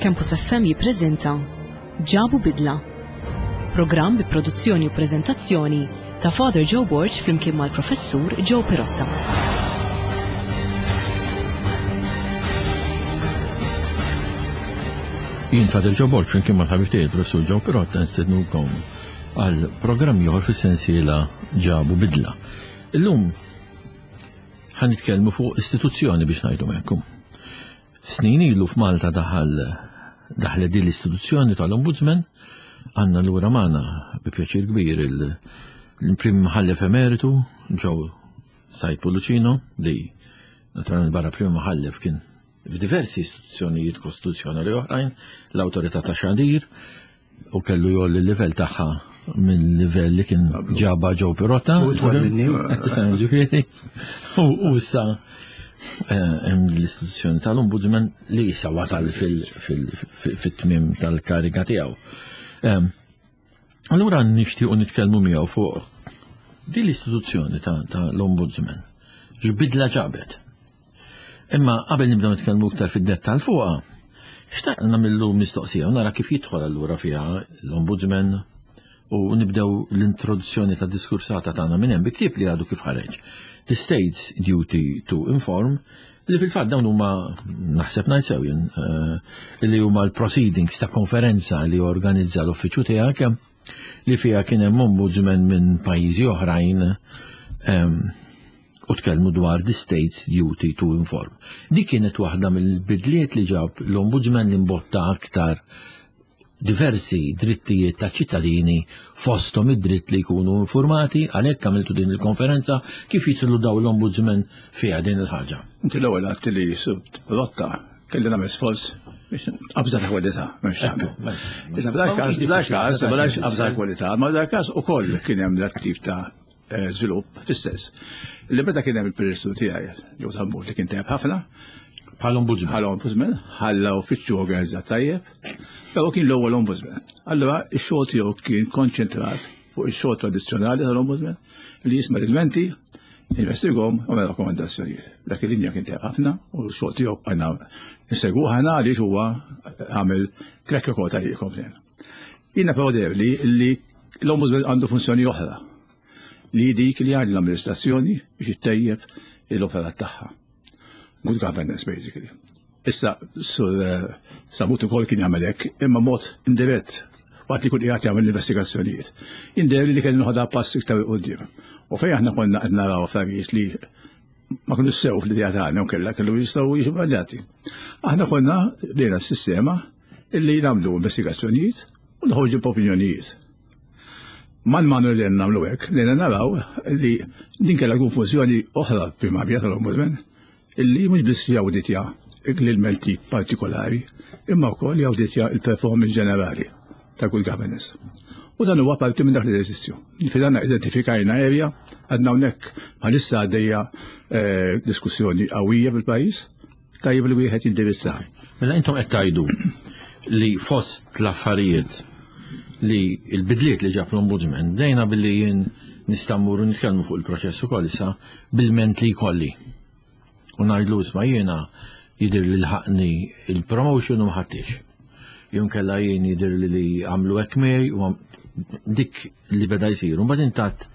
Campus FM jippreżenta Ġabu Bidla. Programm bi produzzjoni u preżentazzjoni ta' Father Joe Borg flimkien mal-Professur Joe Pirotta. Jien Father Joe Borg flimkien mal-ħabib tiegħi il-Professur Joe Pirotta nistednukom għal programm ieħor fis-sensiela Ġabu Bidla. Illum ħa nitkellmu fuq istituzzjoni biex ngħidu hekk. Snin ilu f'Malta daħal daħlet din l-istituzzjoni tal-Ombudsman, għandna lura magħna bi pjaċir kbir il-Prim Mħallef Emeritu Joe Said Pullicino li naturalment barra Prim Mħallef kien f'diversi istituzzjonijiet kostituzzjonali oħrajn, l-Awtorità ta' Xandir, u kellu jolli l-livell tagħha minn livell li kien ġaba Joe Pirotta. U twal minni. Ġifieri. U issa eh, hemm l-istituzzjoni tal-Ombudsman li issa wasal fit-tmiem tal-kariga tiegħu. Ehm, allura nixtiequ nitkellmu miegħu fuq din l-istituzzjoni tal-Ombudsman. X'bidla ġabet? Imma qabel nibdew nitkellmu iktar fid-dettall fuqha, xtaqt nagħmillu mistoqsija u nara kif jidħol allura fiha l-Ombudsman u nibdew l-introduzzjoni ta' diskursata tagħna minn hemm bi ktieb li għadu kif ħareġ. The State's Duty to Inform li fil-fatt dawn huma naħseb ngħid sew jien eh, li huma l-proceedings ta' konferenza li organizza l-uffiċċju tiegħek li fiha kien hemm ombudsman minn pajjiżi oħrajn ehm, u tkellmu dwar the state's duty to inform. Dik kienet waħda mill-bidliet li ġab l-ombudsman li mbotta aktar diversi drittijiet ta' ċittadini fosthom id-dritt li jkunu informati għalhekk għamiltu din il-konferenza kif jidħlu daw l-ombudsman fiha din il-ħaġa. Inti l-ewwel għedt li rotta kelli nagħmel sforz biex qabża ta' kwalità, m'hemmx tagħmel. Mela. Issa f'dak każ, f'dak każ, ma qabża ta' kwalità, ma f'dak każ ukoll kien hemm dak tip ta' eh, żvilupp fis-sens li meta kien hemm il-Ministru tiegħi, Joe Sammut li kien tajjeb ħafna, Bħal ombudsman. Bħal ombudsman, ħalla uffiċċju organizzat tajjeb, però kien l-ewwel ombudsman. Allura ix-xogħol tiegħu kien konċentrat fuq ix-xogħol tradizzjonali tal-ombudsman li jisma' l-ilmenti, investigom u għamel rakkomandazzjonijiet. Dak il-linja kien tajjeb ħafna u x-xogħol tiegħu għandna nsegwu ħana għaliex huwa għamel track record tajjeb komplejn. Jiena però li li l-ombudsman għandu funzjoni oħra li dik li għal l-amministrazzjoni biex ittejjeb l-operat tagħha. Good governance, basically. Issa, sur eh, Samut ukoll kien jagħmel hekk, imma mod indirett waqt li kun qiegħed jagħmel l-investigazzjonijiet. Jien li kelli noħodha pass iktar quddiem. U fejn aħna konna qed naraw affarijiet li ma kienu sew fl-idea tagħna u kellha kellu jistgħu jiġu żbaljati. Aħna konna bdejna s-sistema illi nagħmlu investigazzjonijiet u noħorġu b'opinjonijiet. Man manu li nagħmlu hekk, li naraw li din kellha konfużjoni oħra primarja tal-Ombudsman illi mhux biss jawditja l-ilmenti partikolari, imma wkoll jawditja il-performance ġenerali ta' good governance. U dan huwa parti minn dak l-eżerċizzju. Fil identifikajna area, għadna hawnhekk bħalissa għaddejja eh, diskussjoni qawwija fil-pajjiż, tajjeb li wieħed jindirizza. Mela intom qed tgħidu li fost l-affarijiet li l-bidliet li ġab l-ombudsman, dejna billi jien nista' mmur nitkellmu fuq il-proċess ukoll issa bil-ment li jkolli. U ngħidlu isma' jiena jidher li lħaqni il-promotion u ma ħadtix. Jum kella jien jidher li li għamlu hekk miegħi u dik li beda jsir. U mbagħad intat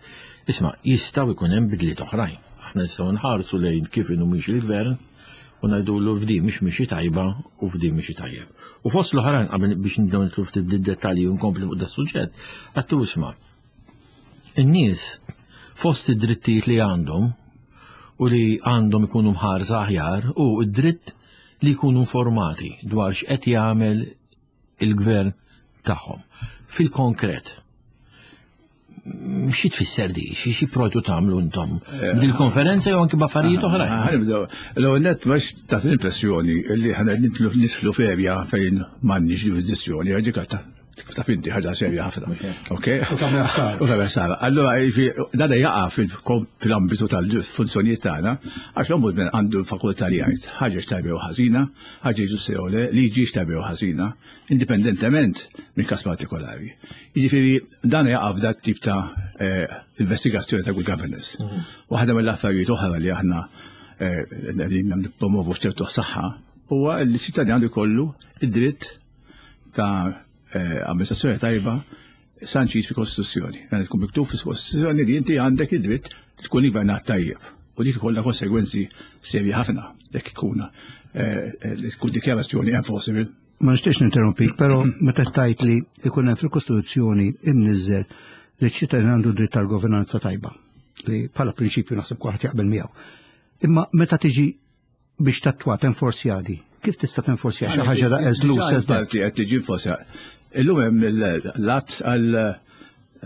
isma' jistgħu jkun hemm bidliet oħrajn. Aħna nistgħu nħarsu lejn kif inhu mhix il-gvern u ngħidulu f'di mhix mixi tajba u f'di mixi tajjeb. U fost l-oħrajn qabel biex nibdew nidħlu ftit dettalji u nkompli fuq da suġġett, għattu isma' In-nies fost id-drittijiet li għandhom u li għandhom ikunu mħarsa aħjar u id-dritt li jkunu informati dwar x'qed jagħmel il-gvern tagħhom. Fil-konkret, xi tfisser di? Xi proġu tagħmlu intom? Eh, Dil-konferenza jew anki b'affarijiet eh, oħrajn? Ħanibdew. L-ewwel nett biex tagħti l-impressjoni li ħana nidħlu f'erja fejn m'għandniex ġurisdizzjoni ġikata Taf inti ħaġa serja ħafna. Ok? U tagħmel ħsara. U tagħmel ħsara. Allura dan jaqa' fil-ambitu tal-funzjonijiet tagħna, għax l-ombudsman għandu l-fakultà li jgħid ħaġa x'tajba jew ħażina, ħaġa ġusta jew le, liġi x'tajba jew ħażina, indipendentement minn każ partikolari. Jiġifieri dan jaqa' f'dat tip ta' eh, investigazzjoni ta' good governance. Mhm. Waħda mill-affarijiet oħra li aħna eh, qegħdin nippromovu f'ċertu saħħa. huwa li ċittadin għandu jkollu id-dritt ta' eh, amministrazzjoni tajba sanċit fi kostituzzjoni. Għandu tkun miktub fi kostituzzjoni li inti għandek id-dritt tkun gvernat tajjeb. U dik ikollha konsegwenzi serji ħafna jekk ikun eh, eh, tkun dikjarazzjoni enforceable. Ma nixtiex ninterrompik, però meta tajt li jkun hemm fil-Kostituzzjoni imniżżel li ċ-ċittadin għandu dritt tal-governanza tajba, li bħala prinċipju naħseb kulħadd jaqbel miegħu. Imma meta tiġi biex tattwa tenforzja di, kif tista' tenforzja xi ħaġa da as loose as that? Qed tiġi enforzja. Illum hemm l-att għal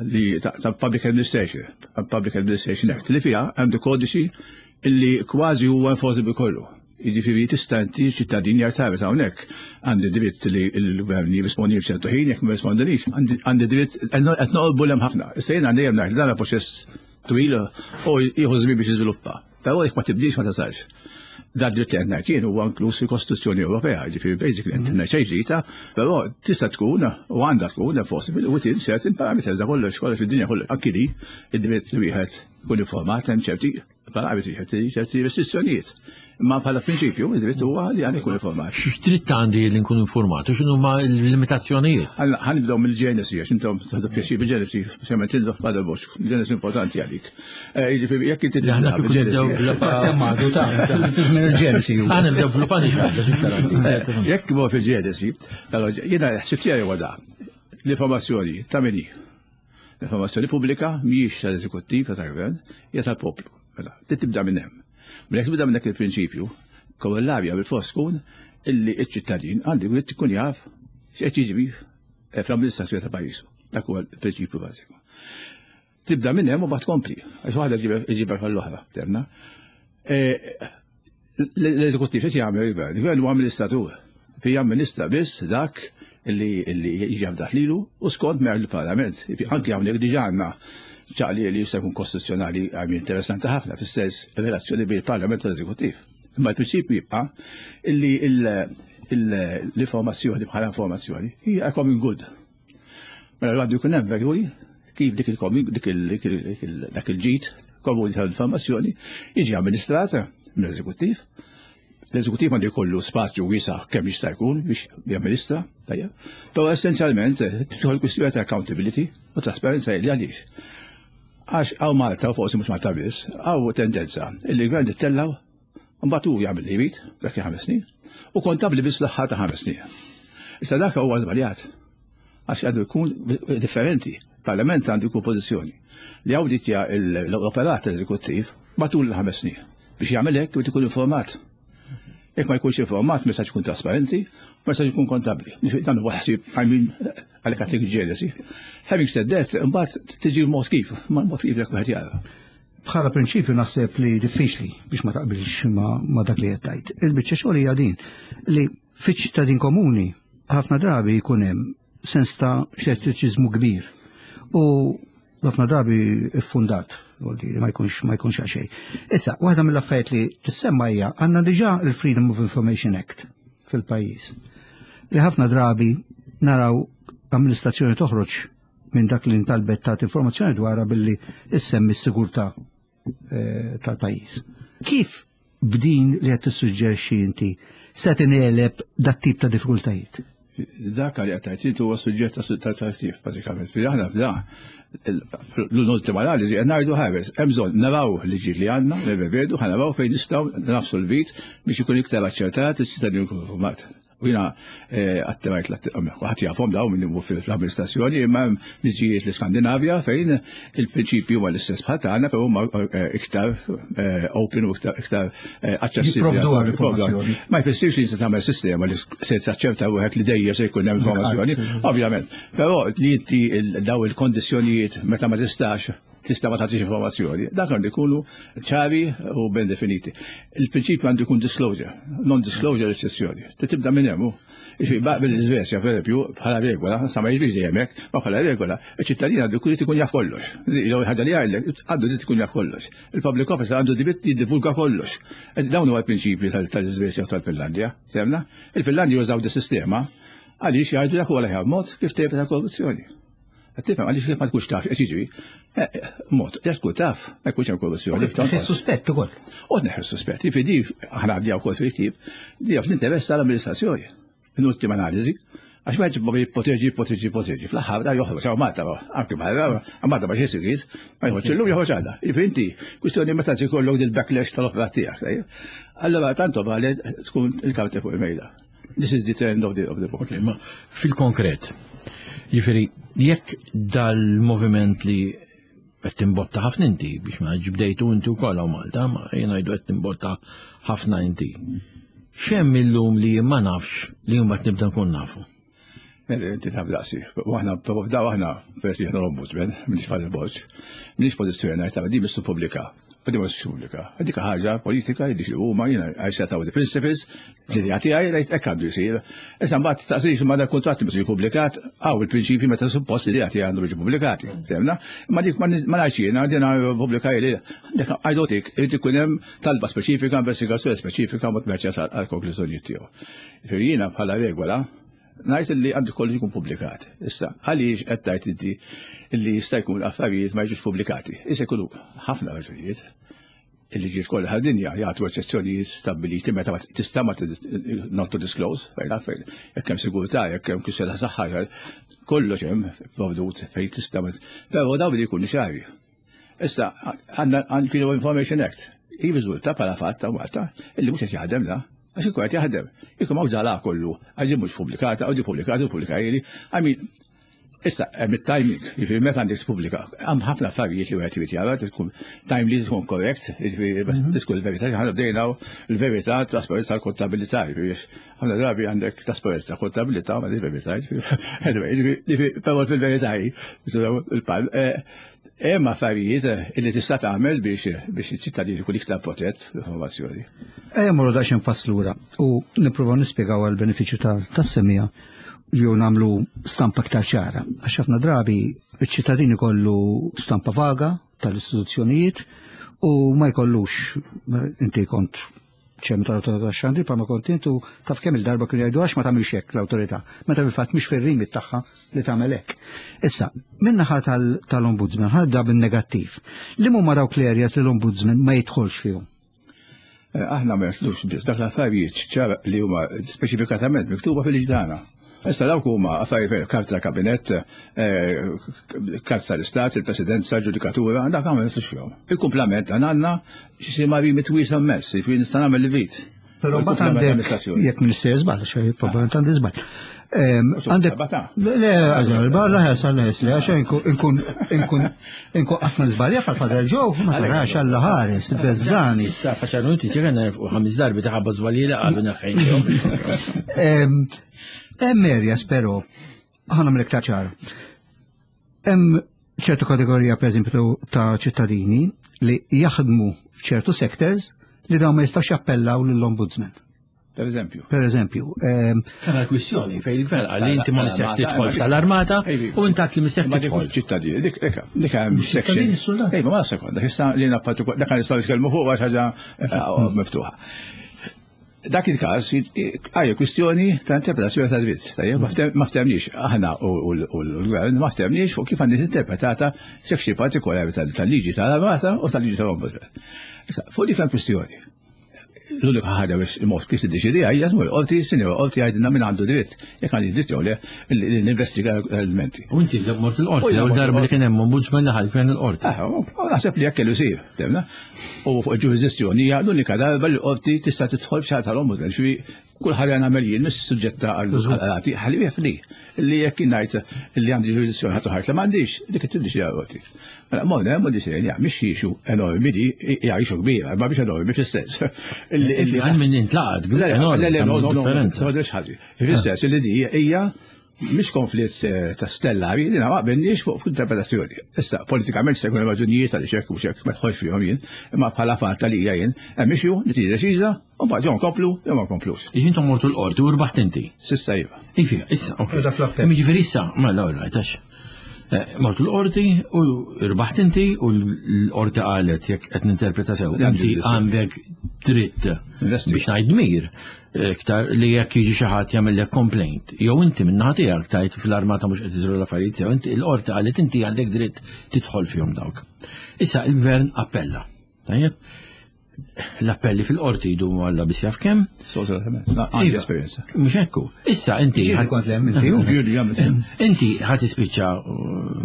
li ta' Public Administration, Public Administration Act, li fiha għandu kodiċi illi kważi huwa enforceable kollu. Jiġifieri tista' inti ċittadin jartaret hawnhekk għandi dritt li l-gvern jirrispondi f'ċertu ħin jekk ma jirrispondilix, għandi dritt qed noqolbu hemm ħafna. Issa jien għandi hemm ngħid dan proċess twil u jieħu żmien biex jiżviluppa. Però jekk ma tibdix ma tasalx. Dan dritt li qed ngħid jien huwa inkluż fil-Kostituzzjoni Ewropea, ġifieri basically qed ngħid xejn ġdida, però tista' tkun u għandha tkun possible within certain parameters da kollox kollox fid-dinja kollox anki li id-dritt li wieħed ikun informat hemm ċerti parametri, ċerti restrizzjonijiet. Imma bħala prinċipju, id-dritt huwa li għandi jkun informat. X'dritt għandi li nkun informat u x'inhu ma l-limitazzjonijiet? Ħa nibdew mill-ġenesi, għax intom tħadu pjaċir bil-ġenesi, speċjalment intom Father Bosch, il-ġenesi importanti għalik. Eh, jiġifieri jekk inti Aħna kieku nibdew għadu ta' il-ġenesi. Ħa nibdew bl-Upanishad. Eh, jekk imur fil-ġenesi, jiena ħsieb tiegħi huwa da. L-informazzjoni ta' min hi? L-informazzjoni pubblika mhijiex tal-eżekuttiv ta' tal-gvern, hija tal-poplu. Mela, li tibda minn hemm. Mela jekk tibda minn dak il-prinċipju, korollarja bil-fors tkun illi ċ-ċittadin għandu jrid ikun jaf x'qed jiġri eh, fl-amministrazzjoni ta' pajjiżu. Dak huwa l-prinċipju bażiku. Tibda minn hemm u bad tkompli, għax waħda ġibek għall-oħra, temna. Eh, l-eżekuttiv qed jagħmel il-gvern, il-gvern huwa amministratur. Fi jamministra biss dak li jiġi afdat lilu u skont mer il-Parlament. Anki hawnhekk diġà għandna ċaqli li jista' jkun kostituzzjonali għam interessanti ħafna fis-sens relazzjoni bejn il-Parlament u l-Eżekuttiv. Imma l-prinċipju jibqa' illi l-informazzjoni bħala informazzjoni hija common good. Mela għandu jkun hemm regoli kif dik il-komi dak il-ġid komuni tal-informazzjoni jiġi amministrat mill-eżekuttiv. L-eżekuttiv għandu jkollu spazju wiesa' kemm jista' jkun biex jamministra, tajjeb. Però essenzjalment tidħol kwistjoni ta' accountability u trasparenza li għaliex. Għax hawn Malta, forsi mhux Malta biss, hawn tendenza li l-gvern ittellaw Mbagħad hu jagħmel li jrid dak il-ħames snin u kontabbli biss l-aħħar ta' ħames snin. Issa dak huwa żbaljat għax għandu jkun differenti. Parlament għandu jkun pożizzjoni li awditja l-operat eżekuttiv matul il-ħames snin. Biex jagħmel hekk irid ikun informat. Jekk ma jkunx informat, ma jistax ikun trasparenti, ma jistax ikun kontabbli. Dan huwa ħsieb I mean għalhekk għatik ġelesi. Having said that, imbagħad tiġi l-mod kif, ma l-mod kif jekk wieħed jara. Bħala prinċipju naħseb li diffiċli biex ma taqbilx ma dak li qed tgħid. Il-biċċa xogħol hija din li fiċ-ċittadin komuni ħafna drabi jkun hemm sens ta' xettiċiżmu kbir u ħafna drabi iffundat ma jkunx ma jkunx għaxej. Issa, waħda mill-affarijiet li tissemma hija għandna diġà il-Freedom of Information Act fil-pajjiż. Li ħafna drabi naraw amministrazzjoni toħroġ minn dak li ntalbet tagħti informazzjoni dwarha billi issemmi s-sigurtà eh, tal-pajjiż. Kif b'din li qed tissuġġerixxi inti se tineleb dat tip ta' diffikultajiet? Dak li qed tgħid huwa suġġett ta' tartif bażikament. Fi aħna f'da l-ultima analiżi qed ngħidu ħares, hemm bżonn naraw liġijiet li għandna, nirrevedu, ħa naraw fejn nistgħu nafsu l-vit biex ikun iktar aċċertat iċ-ċittadin jkun informat. U jina eh, għattimajt l-ħat jafhom daw minn fl-amministrazzjoni, imma liġijiet l-Iskandinavja fejn il-prinċipju huwa l-istess bħal tagħna, però huma eh, iktar eh, open u iktar aċċessibbli. Ma jfissirx li se tagħmel sistema li se taċċerta wieħed li dejjem se jkun hemm informazzjoni, ovvjament. Però li inti daw il-kondizzjonijiet meta ma tistax tista' ma tagħtix informazzjoni. Dak għandu jkunu ċari u ben definiti. Il-prinċipju għandu jkun disclosure, non-disclosure eċċezzjoni. Tibda minn hemm. Bil-Iżvezja, per eżempju, bħala regola, sa ma jiġrix dejjem hekk, ma bħala regola, iċ-ċittadin għandu jkun ikun jaf kollox. Jew ħaġa li jgħidlek, għandu dritt ikun jaf kollox. Il-public officer għandu dritt jiddivulga kollox. Dawn huwa l-prinċipji tal-Iżvezja u tal-Finlandja, semna? Il-Finlandja jużaw di sistema għaliex jgħidu dak huwa l-aħjar mod kif tevita korruzzjoni. Qed tifhem għaliex kif ma tkunx taf qed jiġri. Eh, eh, mod, jekk tkun taf, ma jkunx hemm korruzzjoni. Tneħħi suspett ukoll. U tneħħi suspett. Jiġifieri di aħna għaddi wkoll fil-ktieb, di fl-interess tal-amministrazzjoni. In-ultima analiżi. Għax ma jġibba jippoteġi, jippoteġi, jippoteġi. Fl-aħħar da joħroġ hawn Malta, anki barra, Malta ma xejn sigriet, ma joħroġ illum joħroġ għadha. Jiġifieri inti kwistjoni meta jkollok dil-backlash tal-opera tiegħek. Allora tanto vale tkun il-karti fuq il-mejda. This is the trend of the, of the book. Okay, ma fil-konkret, jiġifieri jekk dal-moviment li qed timbotta ħafna inti biex ma ġbdejtu inti wkoll hawn Malta, ma jien ngħidu qed timbotta ħafna inti. X'hemm illum li ma nafx li mbagħad nibda nkun nafu? Inti taf daqsi. U aħna daw aħna peress li aħna l-ombudsman, minix bħal il-boċ, minix pożizzjoni ngħid tara di missu pubblika. U di mhux pubblika. Dik ħaġa politika li huma jiena I set out the principles, l-idea tiegħi ngħid hekk għandu jsir. Issa mbagħad tistaqsix imma dak kuntratt mhux jippubblikat, hawn il-prinċipji meta suppost l-idea tiegħi għandu jiġi pubblikati. Fehmna? Imma dik ma ngħidx jiena din pubblika li dik għajdotik irid ikun hemm talba speċifika, investigazzjoni speċifika mod meċċa għal konklużjonijiet tiegħu. Jiġifieri jiena bħala regola ngħid li għandu kollu jkun pubblikat. Issa, għaliex qed tgħid inti li jista' jkun affarijiet ma jiġux pubblikati? Issa jkunu ħafna raġunijiet. Il-liġijiet kollha tad-dinja jagħtu eċċezzjonijiet stabbiliti meta tista' ma not to disclose, fejn fejn jekk hemm sigurtà, jekk hemm kwistjoni ta' saħħa, kollox hemm provdut fejn tista' però dawn li jkunu ċari. Issa għandna Freedom of Information Act. Jirriżulta bħala fatt ta' Malta illi mhux qed jaħdem da. Għax ikun qed jaħdem. Jekk m'hawnx dala kollu, għax mhux pubblikata, għax pubblikata, pubblikajli. I mean, Issa, hemm it-timing, jiġifieri meta għandek tpubblika, hemm ħafna affarijiet li wieħed irid jara, tkun timely, tkun korrekt, jiġifieri mhm. tkun il-verità, ħana bdejna l-verità, trasparenza l-kontabilità, jiġifieri ħafna drabi għandek trasparenza, kontabilità, ma verità, anyway, jiġifieri però fil-verità hi, il-pal, eh, hemm affarijiet eh, li tista' tagħmel biex biex iċ-ċittadin ikun iktar protett fl-informazzjoni. Ejja morru daqsxejn pass lura u nippruvaw nispjegaw għall-benefiċċju tas-semija jew nagħmlu stampa aktar ċara. Għax ħafna drabi iċ-ċittadin ikollu stampa vaga tal-istituzzjonijiet u ma jkollux inti kont ċem tal-autorità tax-xandir pa ma kont intu taf kemm il-darba kienu jgħidu għax ma tagħmilx hekk l-awtorità, meta fil-fatt mhix fir-rimit tagħha li tagħmel hekk. Issa, min-naħa tal-ombudsman ħadda bin-negattiv. Li huma dawk l-areas li l-ombudsman ma jidħolx fihom? Eh, aħna ma jaslux biss dak l-affarijiet ċar li huma speċifikatament miktuba fil-liġi tagħna. Issa dawk huma affarijiet karta kabinett, eh, karta tal-Istat, il-Presidenza, ġudikatura, dak ma jaslux fihom. Il-kumplament għandna xi ma rimit wiesa' immens, jiġifieri nista' nagħmel li vit. Però mbagħad għandek jekk minister żball, xejn probabbilment għandi żball. Għandek. Le, għażel, barra ħes għal ħes li għax inkun inkun inkun ħafna żbalja bħal Father Joe, ma tarax għalla ħares, beżżani. Issa faċar inti ġegan u ħames darbi taħabba żbalji li qalu naħħejn. Hemm areas però ħana mill-iktar ċara. Hemm ċertu kategorija pereżempju ta' ċittadini li jaħdmu f'ċertu sectors li dawn ma jistax jappellaw lill-ombudsman. Per eżempju. Per eżempju. Ehm, Kena l-kwistjoni fej il-gvern għalli inti ma nistax tidħol tal-armata u intat li mistax tidħol. Ċittadini, dik dik hemm section. Ejba, ma sekonda, issa li dak nistgħu nitkellmu fuq għax ħaġa eh, miftuħa. Dak il-każ għajja kwistjoni ta' interpretazzjoni ta' dritt. Tajjeb, ma ftemniex aħna u l-gvern ma ftemniex fuq kif għandi interpretata section partikolari tal-liġi tal-armata u tal-liġi tal-ombudsman. Issa, fuq dik il-kwistjoni l-unika ħaġa biex il-mod kif tiddeċidi hija tmur qorti, sinjora qorti jgħidilna min għandu dritt, jekk għandi dritt jew le li ninvestiga l-elementi. U inti mort il-qorti, l-ewwel darba li kien hemm ombudsman li ħal il-qorti. Ah, naħseb li jekk kellu jsir, temna. U fuq il-ġurisdizzjoni hija l-unika darba li l-qorti tista' tidħol f'xi tal-ombudsman, kull ħaġa nagħmel jien mhix suġġetta għal qrati ħalli li li jekk ngħid li għandi ġurisdizzjoni ħadd ħadd li m'għandix dik tiddeċidi l-qorti. Mela morna hemm u disejn ja mhix ixu enormi di hija ixu kbira, ma biex enormi fis-sens. Għal min intlaqat enormi. Le le no no no Fis-sens li di hija mhix konflitt eh, ta' stellari, li ma qbilniex fuq interpretazzjoni. Issa, politikament se jkun raġunijiet għaliex hekk u xek ma tħolx fihom jien, imma bħala fatt li hija jien, hemm issue li tiġi deċiża u mbagħad jew nkomplu jew ma nkomplux. Intom mortu l-qorti u rbaħt inti. Sissa iva. Iva, issa, ok. Jiġifieri issa, ma l-għura, tax. Eh, mort l-qorti u rbaħt inti u l-qorti qalet jekk qed ninterpreta sew. Inti għandek dritt biex ngħid dmir iktar li jekk jiġi xi ħadd jagħmellek complaint. Jew inti min-naħa tiegħek tajt fl-armata mhux qed iżru l-affarijiet sew, inti l-qorti qalet inti għandek dritt tidħol fihom dawk. Issa il-gvern appella. Tajjeb? L-appelli fil-qorti jdumu għalla biss jaf kemm. Għandi Iva. esperjenza. Mhux hekk. Issa inti Ġieli kont lem inti u. Ġieli għamilt. Inti ħad tispiċċa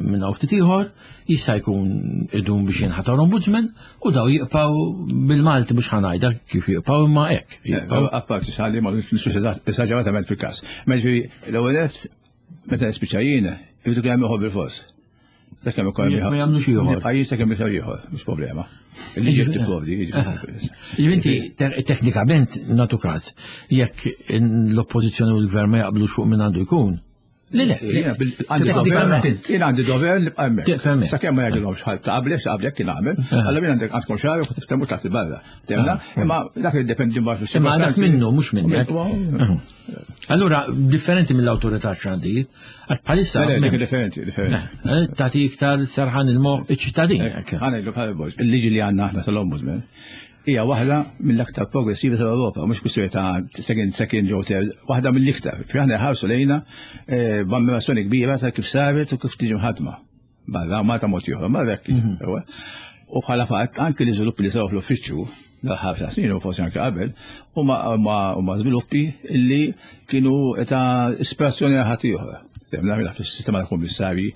minn hawn ftit ieħor, jista' jkun idum biex jinħatar ombudsman u daw jibqgħu bil-Malti biex ħanajda kif jibqgħu imma hekk. Jibqgħu Apparti xalli ma nixux esaġeratament fil-każ. Ma ġifieri l-ewwel nett meta nispiċċa jien, irridu kemm ieħor bil-fors. Sakemm ikun hemm Ma jagħmlux ieħor. Pajjiż sakemm jisir ieħor, mhux problema. Il-liġi tipprovdi, jiġifieri. Jiġifieri Inti teknikament natu każ jekk l-oppożizzjoni u l-gvern ma jaqblux fuq min għandu jkun. Le le, Jiena għandi dover, teknikament. jien għandi dover nibqa' hemmhekk. Tibqa' hemmhekk. Sakemm ma jgħidilhomx ħadd ta' qablek, ta' qablek kien għamel, allura jien għandek għandkom xahar u tiftehmu taħt il-barra. Temna, imma dak li jiddependi mbagħad Imma dak minnu mhux minnek. Le, Allura differenti mill-awtorità xandir, għax bħalissa le, dik m'hemmx. differenti, differenti. Eh, Tagħti iktar serħan il-moħħ iċ-ċittadin. hekk. Ħana bħala Borg, il-liġi li għandna aħna tal-Ombudsman hija waħda mill-aktar progressivi tal-Ewropa, mhux kwistjoni ta' second, second jew third, waħda mill-iktar. Fi aħna ħarsu lejna eh, b'ammirazzjoni kbira ta' kif saret u kif tiġi mħadma. Barra, Malta mod ieħor, ma hekk. Ewa. U bħala fatt anke l-iżviluppi li saru fl-uffiċċju dal-ħafna snin u forsi anke qabel, huma huma żviluppi li kienu ta' ispirazzjoni għal ħadd ieħor. Mela fis-sistema ta' kummissarji,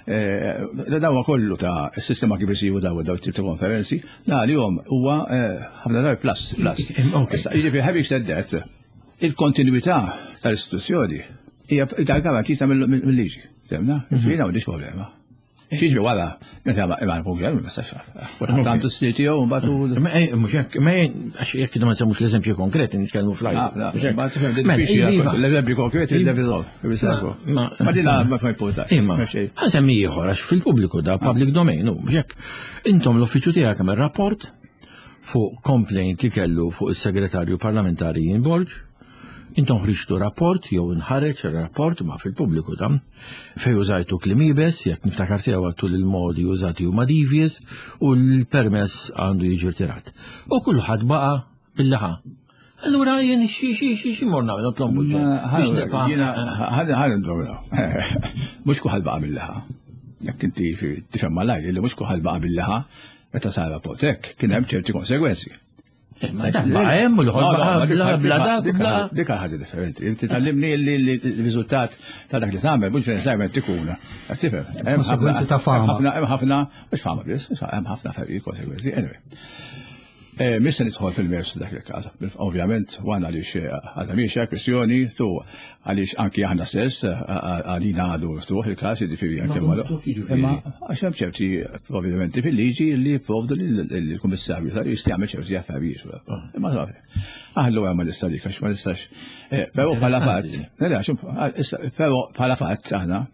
eh, da huwa kollu ta' s-sistema kif isiru daw daw tip ta' konferenzi, da li hom huwa eh, ħafna drabi plus plus. Ok. Issa, Jiġifieri having said that, il-kontinuità tal-istituzzjoni hija garantita mill-liġi. Temna? Jiġifieri m'għandix problema. Xiġi wara, meta ma ma nkunx hemm, ma nistax. Kulħadd għandu s-sir tiegħu mbagħad u Ma eh, mhux hekk, ma eh, għax jekk ma nsemmux l-eżempju konkret nitkellmu fl-ajru. Ah, Mhux hekk. Ma tifhem Mela, diffiċli iva. l-eżempju konkreti l-eżempju Ma- Ma dina ma fa importanti. Imma, ħansemmi ieħor għax fil-pubbliku da public domain, u mhux hekk. Intom l-uffiċċju tiegħek hemm rapport fuq complaint li kellu fuq is-segretarju parlamentari Ian Borg. Intom ħriġtu rapport jew inħareġ rapport ma fil-pubbliku da fej użajtu kliem iebes, jekk niftakar sew għattu li l-modi użati huma devious u l-permess għandu jiġi rtirat. U kulħadd baqa' bil-laħa. Allura jien xi xi xi xi morna nagħmel l-ombudsman biex nibqa' Ħana ħana ndorna. Mhux kulħadd baqa' bil-laħa. Jekk inti tifhem malajr li mhux kulħadd baqa' bil-laħa meta sar rapport hekk kien hemm ċerti konsegwenzi. Ma dak baqa' hemm u l-ieħor baqa' bla bla dak u bla. Dik ħaġa differenti. Inti tallimni li l-riżultat ta' dak li tagħmel mhux neċessarjament ikun. Qed tifhem? Hemm ħafna- Konsegwenzi ta' fama. hemm ħafna- Hemm ħafna mhux fama biss, hemm ħafna affarijiet konsegwenzi. Anyway. Eh, Mhix se nidħol fil-mers dak il-każ. Ovvjament, għana għaliex għadha mhix kwestjoni, tu għaliex anki aħna stess għalina għadu miftuħ il-każ, jiġifieri anke Ma ma miftuħ jiġifieri. Imma għax hemm ċerti provvedimenti fil-liġi li jipprovdu lill-kummissarju tal jista' jagħmel ċerti affarijiet. Imma aħlu hemm ma nista' dik għax ma nistax. Eh, Però bħala fatt, le, le, għax, issa, però bħala fatt aħna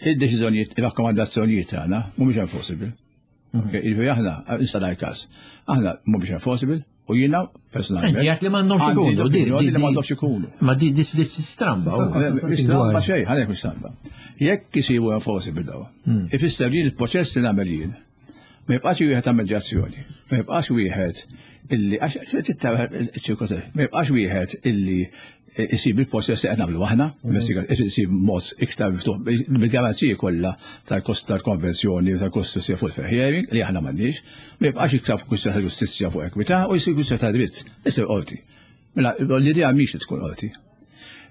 id-deċiżjonijiet, ir-rakkomandazzjonijiet tagħna mhumiex enforceable. Ok, Jiġifieri aħna, nista' ngħid każ, aħna mhumiex enforceable u jiena personalment. Inti għedt li m'għandhomx għandi ikunu, di- l-opinjoni di- li di- m'għandhomx ikunu. Ma di di di stramba. u. Mhix stramba xejn, ħalek mhix stramba. Jekk isiru enforceable daw, ifisser li l-proċess li nagħmel jien ma jibqax wieħed ta' medjazzjoni, ma jibqax wieħed illi għax tittara ċ-ċirkostanzi, ma jibqax wieħed illi isib il-proċess li qed nagħmlu aħna, isib mod iktar miftuħ bil-garanziji kollha tal-kost tal-konvenzjoni tal-kostituzzjoni fuq il-fair hearing li aħna m'għandniex, ma jibqax iktar kwistjoni ta' ġustizzja fuq ekwità u jsir kwistjoni ta' dritt, isir qorti. Mela, l-idea mhix li tkun qorti.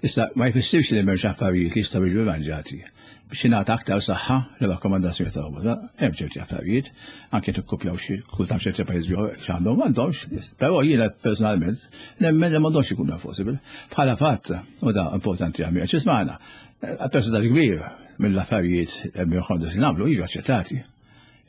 Issa, ma jfissirx li m'hemmx affarijiet li jistgħu jiġu arranġati biex jingħata aktar saħħa li rakkomandazzjoni ta' ombudsman. Hemm ċerti affarijiet, anke tikkupjaw xi kultant ċerti pajjiżi oħra x'għandhom m'għandhomx, però jiena personalment nemmen li m'għandhomx ikunu enforceable. Bħala fatt, u da importanti għamil, għax ismagħna, percentaġġ kbir mill-affarijiet li nagħmlu jiġu aċċettati.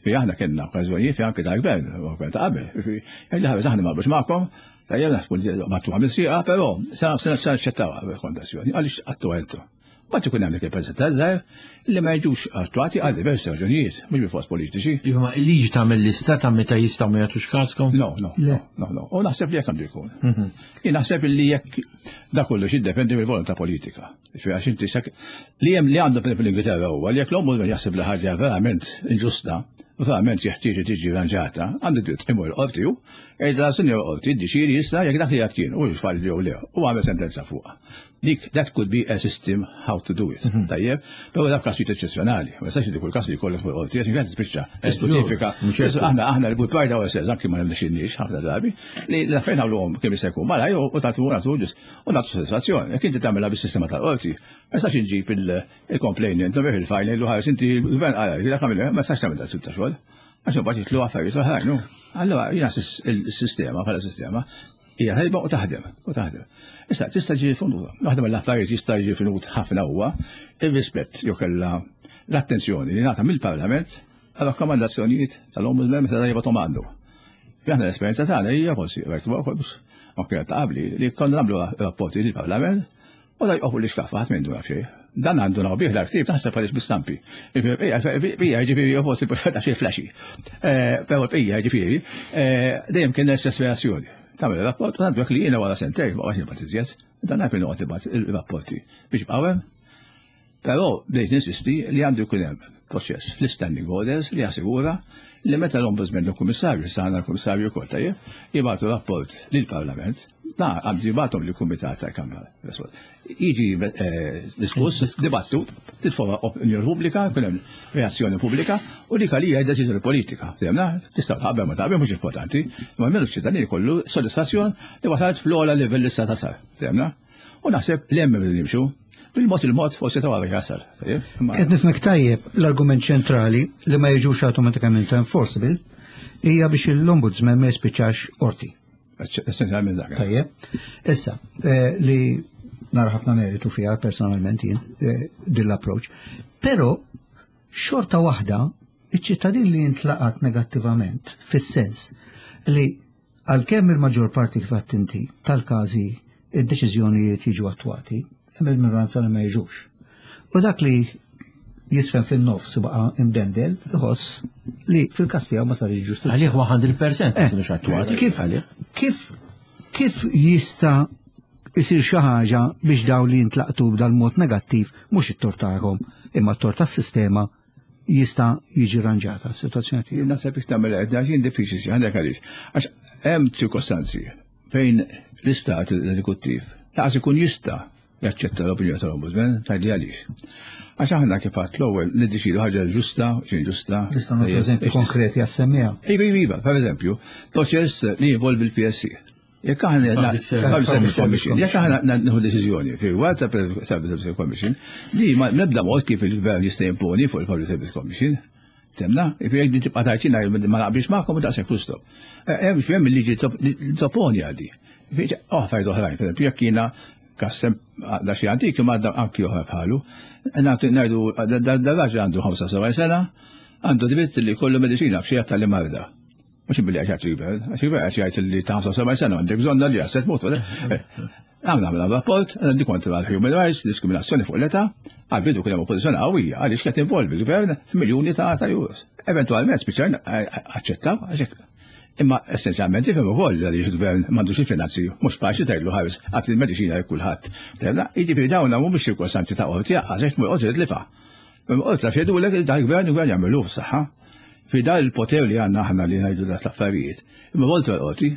Fi aħna kellna okkażjonijiet fi anke tal-gvern, u gvern ta' qabel. Fi li ħares aħna ma naqblux magħkom, tajjeb naħsbu li battu għamil sieqa, però se naċċettaw rakkomandazzjoni għaliex għattu għentu. Ma tkun hemm dik il-percentaġġ żgħir li ma jiġux attwati għal diversi raġunijiet, mhux bi fost politiċi. Iva, ma il-liġi tagħmel lista ta' meta jistgħu ma jagħtux kaskom? No, no, no, no, no. U naħseb li jekk għandu jkun. Jien naħseb li jekk Da kollox jiddependi mill-volontà politika. Għax inti li hemm li għandu fl-Ingilterra huwa li jekk l-ombudsman jaħseb li ħaġa verament inġusta, verament jeħtieġ tiġi ranġata, għandu dritt imur l-qorti hu, jgħidla sinjor qorti ddeċiedi issa jekk dak li għad kien u falli jew le u għamel sentenza fuqha. Dik that could be a system how to do it. Mhm. Tajjeb, però dak każijiet eċċezzjonali. Ma jistax li kull każ li jkollok fuq qorti għax inkella tispiċċa tisputifika. Aħna aħna li good pride ourselves anki ma nirnexxinniex ħafna drabi li l-affarijiet nagħmluhom kemm jista' jkun malaj u tagħtu nagħtu u nagħtu sodisfazzjon. Jekk inti tagħmilha bis-sistema tal-qorti, ma jistax inġib il-complainant, nobih il-fajl, ngħidlu ħares inti l-gvern qal dak għamilha, ma jistax tagħmel dak ta' xogħol. Għax imbagħad jitlu affarijiet oħrajn. Allura jiena s-sistema bħala sistema hija tajba u taħdem, u taħdem. Issa tista' ġi funduta. Waħda mill-affarijiet jista' jiġi finut ħafna huwa ir-rispett jew kellha l-attenzjoni li ngħata mill-Parlament għal rakkomandazzjonijiet tal-Ombudsman meta jibgħathom għandu. Aħna l-esperjenza tagħna hija forsi rajtu wkoll ma kienet ta' qabli li konna nagħmlu rapporti lill-Parlament u da jqofu li xkaffa ħadd m'għandu jaf xejn. Dan għandu naw bih l-artib taħseb għaliex bistampi. Bija ġifieri forsi ta' xi flashy. Eh, però bija ġifieri eh, dejjem kien l-istess reazzjoni. Tagħmel rapport u għandu li jiena wara sentejn ma għax nibgħat iżjed. Dan naf noqgħod nibgħat il-rapporti biex bqgħu Però bdejt ninsisti li għandu jkun hemm proċess fl-standing orders li jassigura li meta l-Ombudsman u l-Kummissarju, issa għandna l-Kummissarju wkoll tajjeb, jibgħatu rapport lill-Parlament, na għandu jibgħathom lill-Kumitat tal-Kamra. Jiġi eh, diskuss, dibattu, titfora opinjoni pubblika, jkun hemm reazzjoni pubblika u dik għalija deċiżjoni politika. Fehmna? Tista' taqbel ma taqbel mhux importanti, imma almenu ċ-ċittadini kollu sodisfazzjon li wasalt fl-ogħla livell li sta tasal. Fehmna? U naħseb li hemm irridu nimxu. Bil-mod il-mod forsi ta' għalek jasal. Qed nifhmek tajjeb l-argument ċentrali li ma jiġux automatikament enforceable hija biex l-ombudsman ma jispiċċax qorti. Essenzjalment dak. Tajjeb. Issa, eh, li nara ħafna meritu fiha personalment jien eh, din l-approach. Però xorta waħda iċ-ċittadin li jintlaqat negattivament fis-sens li Għalkemm il-maġġor parti kif għedt inti tal-każi id-deċiżjonijiet jiġu attwati, hemm il-minoranza li ma jiġux. U dak li jisfen fin-nofs u baqa' imdendel iħoss li fil-każ tiegħu ma sarx ġustizzja. Għalih 100% eh, kienux attwati. Kif kif kif jista' isir xi ħaġa biex dawn li jintlaqtu b'dal-mod negattiv mhux it-tort tagħhom imma t-tort tas-sistema jista' jiġi ranġata s-sitwazzjoni tiegħu. Naħseb jekk tagħmel hekk jien diffiċli si għandek għaliex. Għax hemm ċirkostanzi fejn l-istat l-eżekuttiv laqas ikun jista' jaċċetta l-opinjoni tal-Ombudsman tgħidli għaliex. Għax aħna kif għadt l-ewwel niddeċidu ħaġa ġusta, xejn ġusta. Nistgħu nagħtu eżempju konkreti għas-semmiegħa. Iva, iva, per eżempju, proċess li jinvolvi l-PSC. Jekk aħna jekk aħna nieħu deċiżjoni fi rigward ta' Service Commission li ma nibda mod kif il-gvern jista' jimponi fuq il-Public Service Commission. Temna, jekk din tibqa' tgħid jiena ma naqbilx magħkom u daqshekk full stop. Eh, hemm hemm il-liġi topponi għal di. Oh, affarijiet oħrajn, pereżempju jekk jiena kassem da xi antik imma anki oħra bħalu, ngħidu dar-raġel għandu 75 sena, għandu dritt li jkollu mediċina f'xi tal-marda. Mhux billi għax jgħid il-gvern, għax il-gvern għax jgħid li ta' 75 sena għandek bżonn li għasset mut. Għamna għamna rapport, għandi kontra l-human rights, diskriminazzjoni fuq l-età, għal-bidu kien hemm oppożizzjoni qawwija għaliex qed involvi l-gvern f'miljuni ta' ta' euros. Eventualment spiċċajna aċċettaw għax Imma essenzjalment tifhem ukoll għaliex il-gvern m'għandux il-finanzi, mhux faċli tgħidlu ħares għad il-mediċina lil kulħadd. Jiġifieri dawn mhumiex ċirkostanzi ta' qorti għax tmur qorti tlifa. Imma jgħidulek li dal-gvern il-gvern jagħmlu f'saħħa. Fi dal il-poter li għandna aħna li ngħidu dak l-affarijiet. Imma voltu għal-qorti.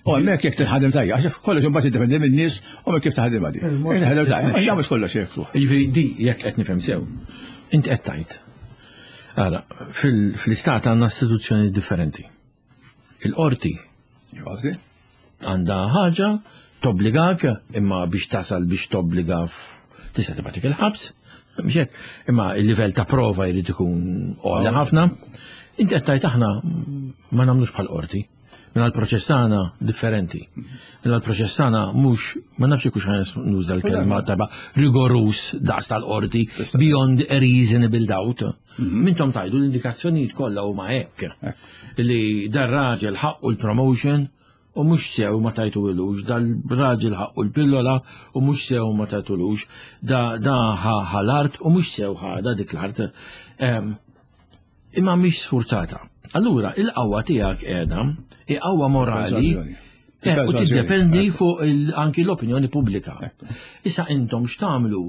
U hemmhekk jekk tinħadem tajja, għax kollox imbagħad jiddependi min-nies u minn kif taħdem għadi. Inħadem tajja, mhux kollox jekk. Jiġifieri di jekk qed nifhem sew, inti qed tgħid. Ara, fl-istat għandna istituzzjoni differenti. Il-qorti. Il-qorti? Għandha ħaġa tobbligak imma biex tasal biex tobbliga tista' tibgħatik il-ħabs, biex hekk, imma il-livell ta' prova jrid ikun għoli ħafna. Inti qed tgħid aħna ma nagħmlux bħal qorti. Minna l-proċess tagħna differenti. Minna l-proċess tagħna mhux ma nafx jekk nuża l-kelma taba rigorus daqs tal-qorti beyond a reasonable doubt. Mhm. Mintom tajdu l-indikazzjonijiet kollha huma hekk. Li dar raġel ħaqqu l-promotion u mhux sew ma tajtulux, dal-raġel ħaqqu l-pillola u mhux sew ma tajtulux, da da ħa l-art u mhux sew ħada dik l-art. Imma mhix sfurzata. Allura, il-qawwa tiegħek qiegħda, hi qawwa morali. U tiddependi fuq anki l-opinjoni pubblika. Issa intom x'tagħmlu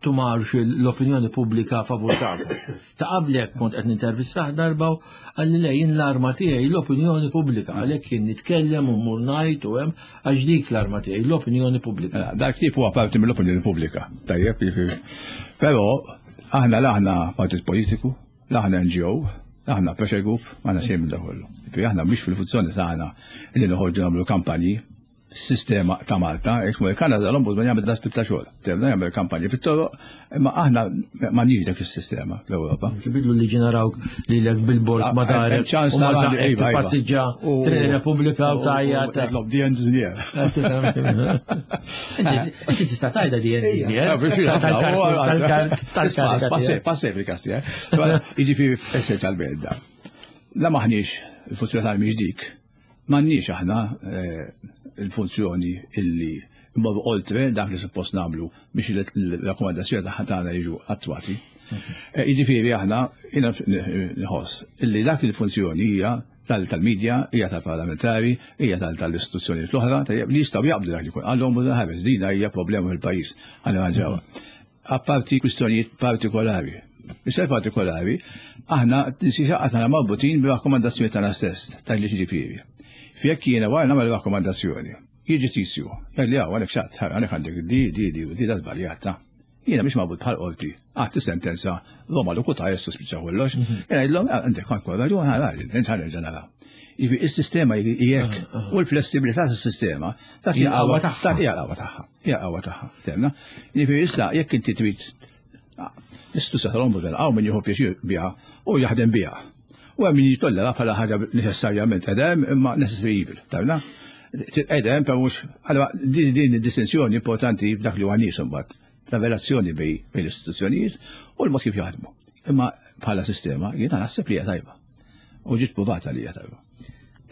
tumarx l-opinjoni pubblika favur tagħkom. Ta' qablek kont qed nintervistah darba u qalli le jien l-arma tiegħi l-opinjoni pubblika għalhekk jien nitkellem u mmur ngħid u hemm għax dik l-arma tiegħi l-opinjoni pubblika. Mela, dak tip huwa parti mill-opinjoni pubblika, tajjeb, jiġifieri. Però aħna l-aħna partit politiku, l-aħna NGO, l-aħna pressure group, aħna xejn minn kollu. Jiġifieri aħna mhix fil-funzjoni tagħna li noħorġu nagħmlu kampanji sistema ta' Malta, jekk il-Kanada l-Ombudsman jagħmel dak tip ta' xogħol. Tebda jagħmel kampanji fit-toroq, imma aħna m'għandniex dak is-sistema fl-Ewropa. Kibidlu li ġenarawk li lek billboard Ah, ma darek ċans u ma nara li- zaqek iva, iva. tippassiġġa Triq Repubblika u tajja ta' Titlob di engineer. Inti tista' tajda di engineer. Ah, Passe fil-kas tiegħek. Jiġifieri essenzjalment da. La maħniex il-funzjoni tal mhix dik. M'għandniex aħna il-funzjoni illi mmorru oltre dak li suppost nagħmlu biex il-rakkomandazzjoni tagħha tagħna jiġu attwati. Jiġifieri aħna jiena nħoss illi dak il-funzjoni hija tal-medja, hija tal-parlamentari, hija tal-istituzzjonijiet l-oħra, tajjeb, li jistgħu jaqbdu dak li jkun. Għallhom ħares dina hija problema fil-pajjiż, ħalli ġewwa. Apparti kwistjonijiet partikolari. Issa partikolari, aħna aħna marbutin bir-rakkomandazzjoni tagħna stess, tal-li ġifieri. Fjekk jiena wara nagħmel rakkomandazzjoni, jiġi tizju, jgħidli hawn għalek xatt, għalek għandek di, di, di, di, da żbaljata. Jiena mhix marbut bħal qorti, għatti sentenza Roma locuta est spiċċa kollox, jiena jgħidlhom għandek għandek raġun, ħa nerġa' nara. Jiġifieri is-sistema jekk u l-flessibilità tas-sistema ta' Hija qawwa tagħha. Ta' hija qawwa tagħha. Hija qawwa tagħha. Temna. Jiġifieri issa jekk inti trid l-istituzzjoni tal-Ombudsman hawn min jieħu pjaċir biha u jaħdem biha. U hemm min jitollera bħala ħaġa neċessarjament edem imma necessary evil, tafna? Edem, per mhux, allora din din id-distinzjoni importanti f'dak li huwa nies imbagħad ta' relazzjoni bej l-istituzzjonijiet u l-mod kif jaħdmu. Imma bħala sistema jiena naħseb li hija tajba. U ġiet provata li hija tajba.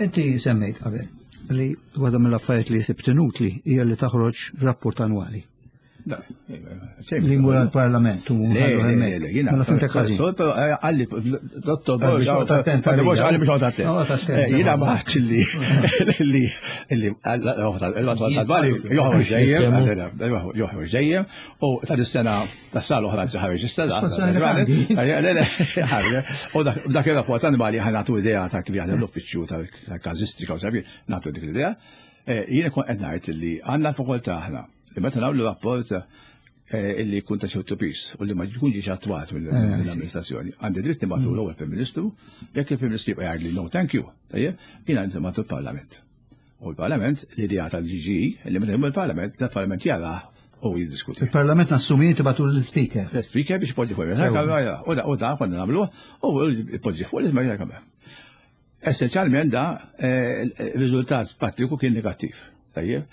Inti semmejt qabel li waħda mill-affarijiet li sibt inutli hija li taħroġ rapport annwali. Li jmur għal-parlament u Le, ħallu le, hemmhekk. le, jiena. Mela fimtek ħażin. Għalli, dottor Għalli Borg, xogħol attent għalli għalija. għalli mhux attent. Noqgħod attent, Jiena sewwa. maħċ li, li, li, għal-għal joħroġ dejjem, joħroġ dejjem, u ta' dis-sena, ta' sal oħra ħareġ is-sena. Espanzjoni grandi. Le, le, ħareġ. U dak il-rapport annwali ħa nagħtu idea ta' kif jaħdem l-uffiċċju ta' każistika u sabi, nagħtu dik l-idea. Jiena kont qed ngħid li għandna l-fakultà aħna li meta nagħmlu rapport illi jkun ta' ċertu pis u li ma jkun ġiex attwat mill-amministrazzjoni. Għandi dritt nibgħatu l-ewwel Prim Ministru, jekk il-Prim Ministru jibqa' jgħidli no thank you, tajjeb, jiena nibgħatu l-Parlament. U l-Parlament, l-idea tal-GGE, li meta jmur il-Parlament, l-Parlament jara u jiddiskuti. Il-parlament nassumi tibatu l-speaker. L-speaker biex ipoġġi fuq Sewa. U da u da konna nagħmluh u ipoġġi fuq il-kamra. Essenzjalment da il-riżultat prattiku kien negattiv. Tajjeb.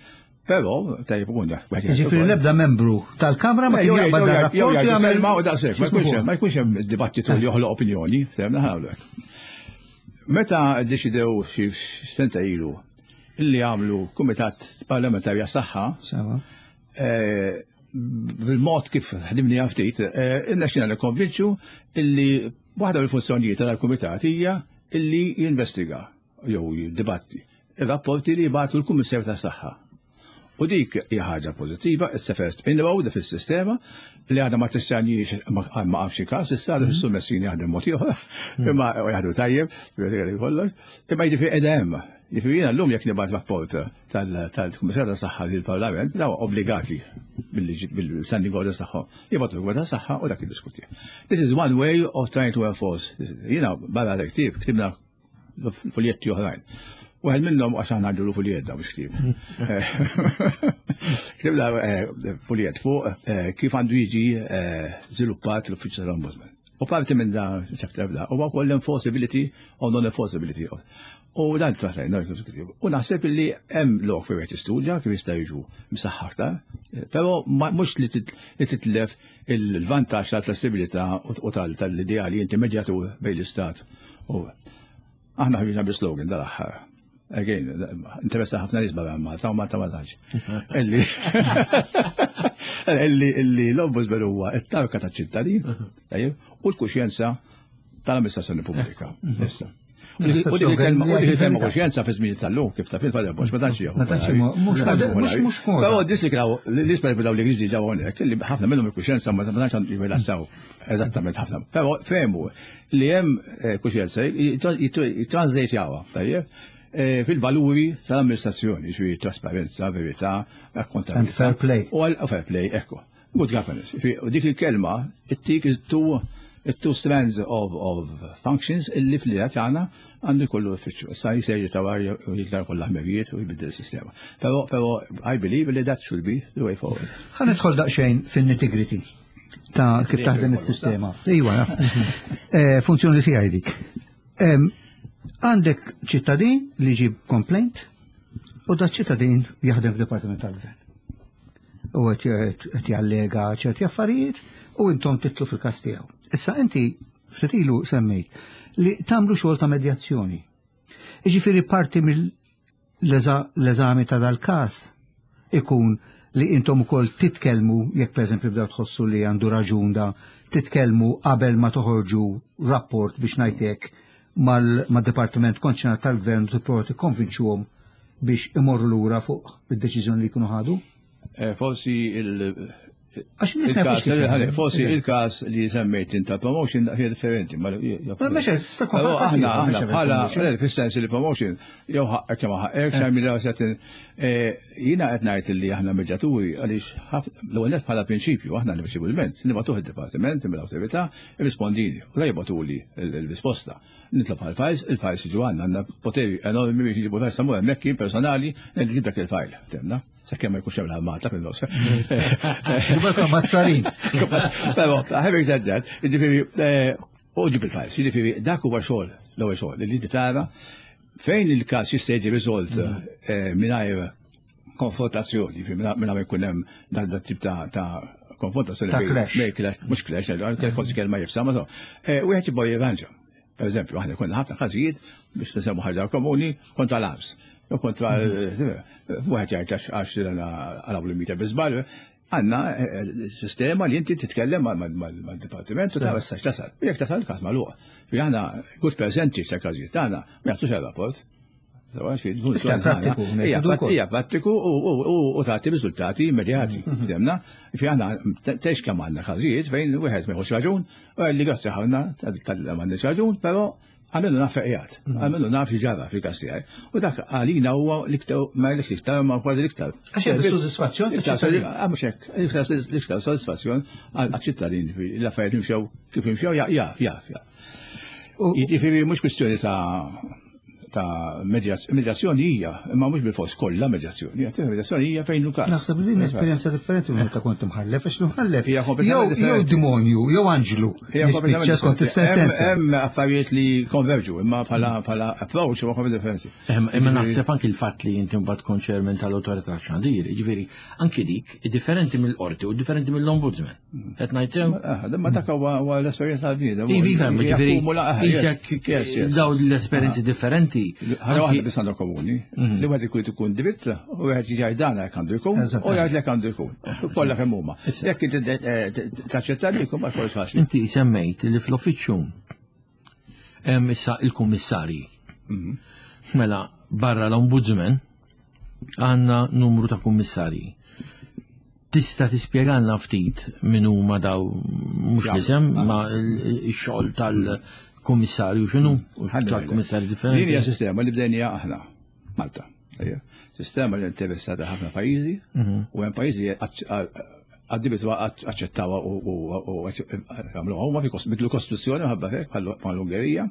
Però, tajjeb ikun dak. Ġifieri l-ebda membru tal-Kamra ma kien jaqbad dan rapport u jagħmel Ma u daqshekk, ma jkunx hemm- ma jkunx hemm dibattitu li joħloq opinjoni, semna ħawlek. Meta ddeċidew xi senta ilu illi għamlu kumitat parlamentari għas-saħħa, Sewa. bil-mod kif ħdimni ftit, irnexxina nikkonvinċu illi waħda mill-funzjonijiet tal-kumitat hija illi jinvestiga jew jiddibatti ir-rapporti li jibgħatu l-Kummissarju tas-Saħħa. U dik hija ħaġa pożittiva, it's a first inroad fis-sistema li għadha ma tistanix ma għamx każ, issa għadu fis Messini jaħdem mod ieħor, imma jaħdmu tajjeb, kollox, imma jiġifieri qiegħda hemm. Jiġifieri jiena llum jekk nibgħat rapport tal-Kummissarju tas-Saħħa lill-Parlament, daw obbligati bil-standing orders tagħhom. Jibgħatu l tas-saħħa u dak jiddiskuti. This is one way of trying to enforce. Jiena barra l-ktieb ktibna fuljetti oħrajn. Wieħed minnhom għax aħna għandu fuljet da mhux ktieb. Ktibna fuljett fuq kif għandu jiġi żviluppat l-uffiċċju tal-Ombudsman. U parti minn da chapter da huwa wkoll l-enforceability u non-enforceability. U dan trattajna U naħseb li hemm lok fejn wieħed jistudja kif jista' jiġu msaħħa aktar, però mhux li titlef il-vantaġġ tal-flessibilità u tal-idea li inti medjatur bejn l-istat. U aħna ħriġna bi slogan dal-aħħar. Again, interessa ħafna nies barra Malta u Malta ma tantx. Illi illi illi l-ombudsman huwa it-tarka taċ-ċittadin, tajjeb, u l-kuxjenza tal-amministrazzjoni pubblika. Issa. U dik il-kelma kuxjenza fi żmien tal-lum kif ta' fil-fatt ma tantx jieħu. Ma tantx mhux mhux Però dis li kienu li spera daw li griżi ġew hawnhekk li ħafna minnhom il-kuxjenza ma tantx jirrilassaw eżattament ħafna. Però fehmu li hemm eh, kuxjenza jitranslate jawha, tajjeb eh, fil-valuri tal-amministrazzjoni, ġifieri trasparenza, verità, akkontabilità. Fair play. U għal fair play, ekku. Good governance. U dik il-kelma, it-tik it-two strands of, of functions illi fl-idea tagħna għandu jkollu uffiċċju. Issa jisejġi ta' u jiktar kollha ħmerijiet u jbiddel is-sistema. Però però I believe li that should be the way forward. Ħa nidħol daqsxejn fil-nitty-gritty ta' kif taħdem is-sistema. Iwa, eh, funzjoni tiegħi dik. Għandek ċittadin li ġib complaint u da ċittadin jaħdem f'Dipartiment tal-Gvern. U qed jallega ċerti affarijiet u intom titlu fil-każ tiegħu. Issa inti ftit ilu semmejt li tagħmlu xogħol ta' medjazzjoni. Jiġifieri parti mill-eżami ta' dal-każ ikun li intom ukoll titkellmu jekk pereżempju bdew tħossu li għandu raġun da titkellmu qabel ma toħorġu rapport biex ngħid mal-dipartiment konċernat tal-gvern u tipprova tikkonvinċuhom biex imorru lura fuq id-deċiżjoni li jkunu ħadu? Eh, forsi il- Għax nies ma jafux kif jaħdem. Forsi il-każ li semmejt inta promotion hija differenti. Ma aħna aħna bħala fis-sens li promotion jew ħaqqek jew ħaqqek xejn minn eh, jiena qed ngħid li aħna medjaturi għaliex l-ewwel bħala prinċipju aħna nirċivu l-ment, nibgħatuh id-dipartiment mill-awtorità irrispondini u la jibgħatuli l-risposta. Nitlob għal files, il-files jiġu għandna, għandna poteri enormi biex nġibu files samur hemmhekk jien personali nġib dak il-file, temna, sakemm ma jkunx hemm l-armata fil-nofs. Ġibalkom mazzarin. Però, having said that, jiġifieri eh, u ġib il-files, jiġifieri dak huwa xogħol, l-ewwel xogħol, li tara fejn il-każ jista' jiġi riżolt eh, mingħajr konfrontazzjoni, mingħajr ma jkun hemm dan tip ta' konfrontazzjoni bej clash, mhux clash, forsi kelma jifsa, ma eh, wieħed jibgħu jirranġa. Per eżempju, aħna konna ħafna każijiet biex nisemmu ħaġa komuni kontra l-arms. Jew kontra wieħed jgħid għax għalaw l-mita biżbal, għandna eh, eh, sistema li inti titkellem mal-dipartiment u tara s tasal. U jekk tasal każ magħluq. Fi aħna good percentage ta' każijiet tagħna ma jagħtux rapport. Hija prattiku u tagħti riżultati immedjati. Mhm. Demna, fi aħna tex kemm għandna każijiet fejn wieħed ma jħoss raġun, u li grazzi ħafna tal-m'għandniex raġun, però għamilnu naf fejjat, mhm. għamilnu naf ġara fil-każ tiegħi. U dak għalina huwa l-iktar ma l-iktar ma kważi l-iktar. Għax hemm sodisfazzjon. Ah, mhux hekk, l-iktar sodisfazzjon għal-ċittadin l-affarijiet imxew kif imxew jaf, jaf, jaf. Jiġifieri mhux kwistjoni ta' ta' medjazzjoni hija, imma mhux bil-fors kollha medjazzjoni, medjazzjoni hija fejn każ. Naħseb li din esperjenza differenti minn meta kont imħallef, għax l-imħallef jew demonju, jew anġlu. Jispiċċa skont is-sentenza. Hemm affarijiet li konverġu, imma bħala bħala approach huwa kompletament differenti. Imma naħseb anki l-fatt li inti mbagħad tkun chairman tal-awtorità xandir, jiġifieri anki dik differenti mill-qorti u differenti mill-ombudsman. Qed ngħid sew? Ah, ma dak huwa l-esperjenza tal-bniedem. Ivi, fem, ġifieri. Daw l-esperjenzi ah. differenti. Ħaġa waħda biss għandha komuni, mhm. li wieħed ikun ikun dritt u wieħed jgħid dan hekk għandu jkun u jgħid lek għandu jkun. Kollha kemm huma. Jekk inti eh, taċċetta li jkun ma jkunx faċli. Inti semmejt li fl-uffiċċju hemm issa il-kummissarji. Mhm. Mela barra l-ombudsman għandna numru ta' kummissarji. Tista' tispjegalna ftit min huma daw mhux l-isem ma x-xogħol tal-kummissarju x'inhu tal-kummissarju differenti. Din hija sistema li bdejnija aħna Malta. Sistema li interessata ħafna pajjiżi mhm. u hemm pajjiżi li għaddibitu aċċettawha u għamluha huma bidlu kostituzzjoni ħabba hekk bħal-Ungerija.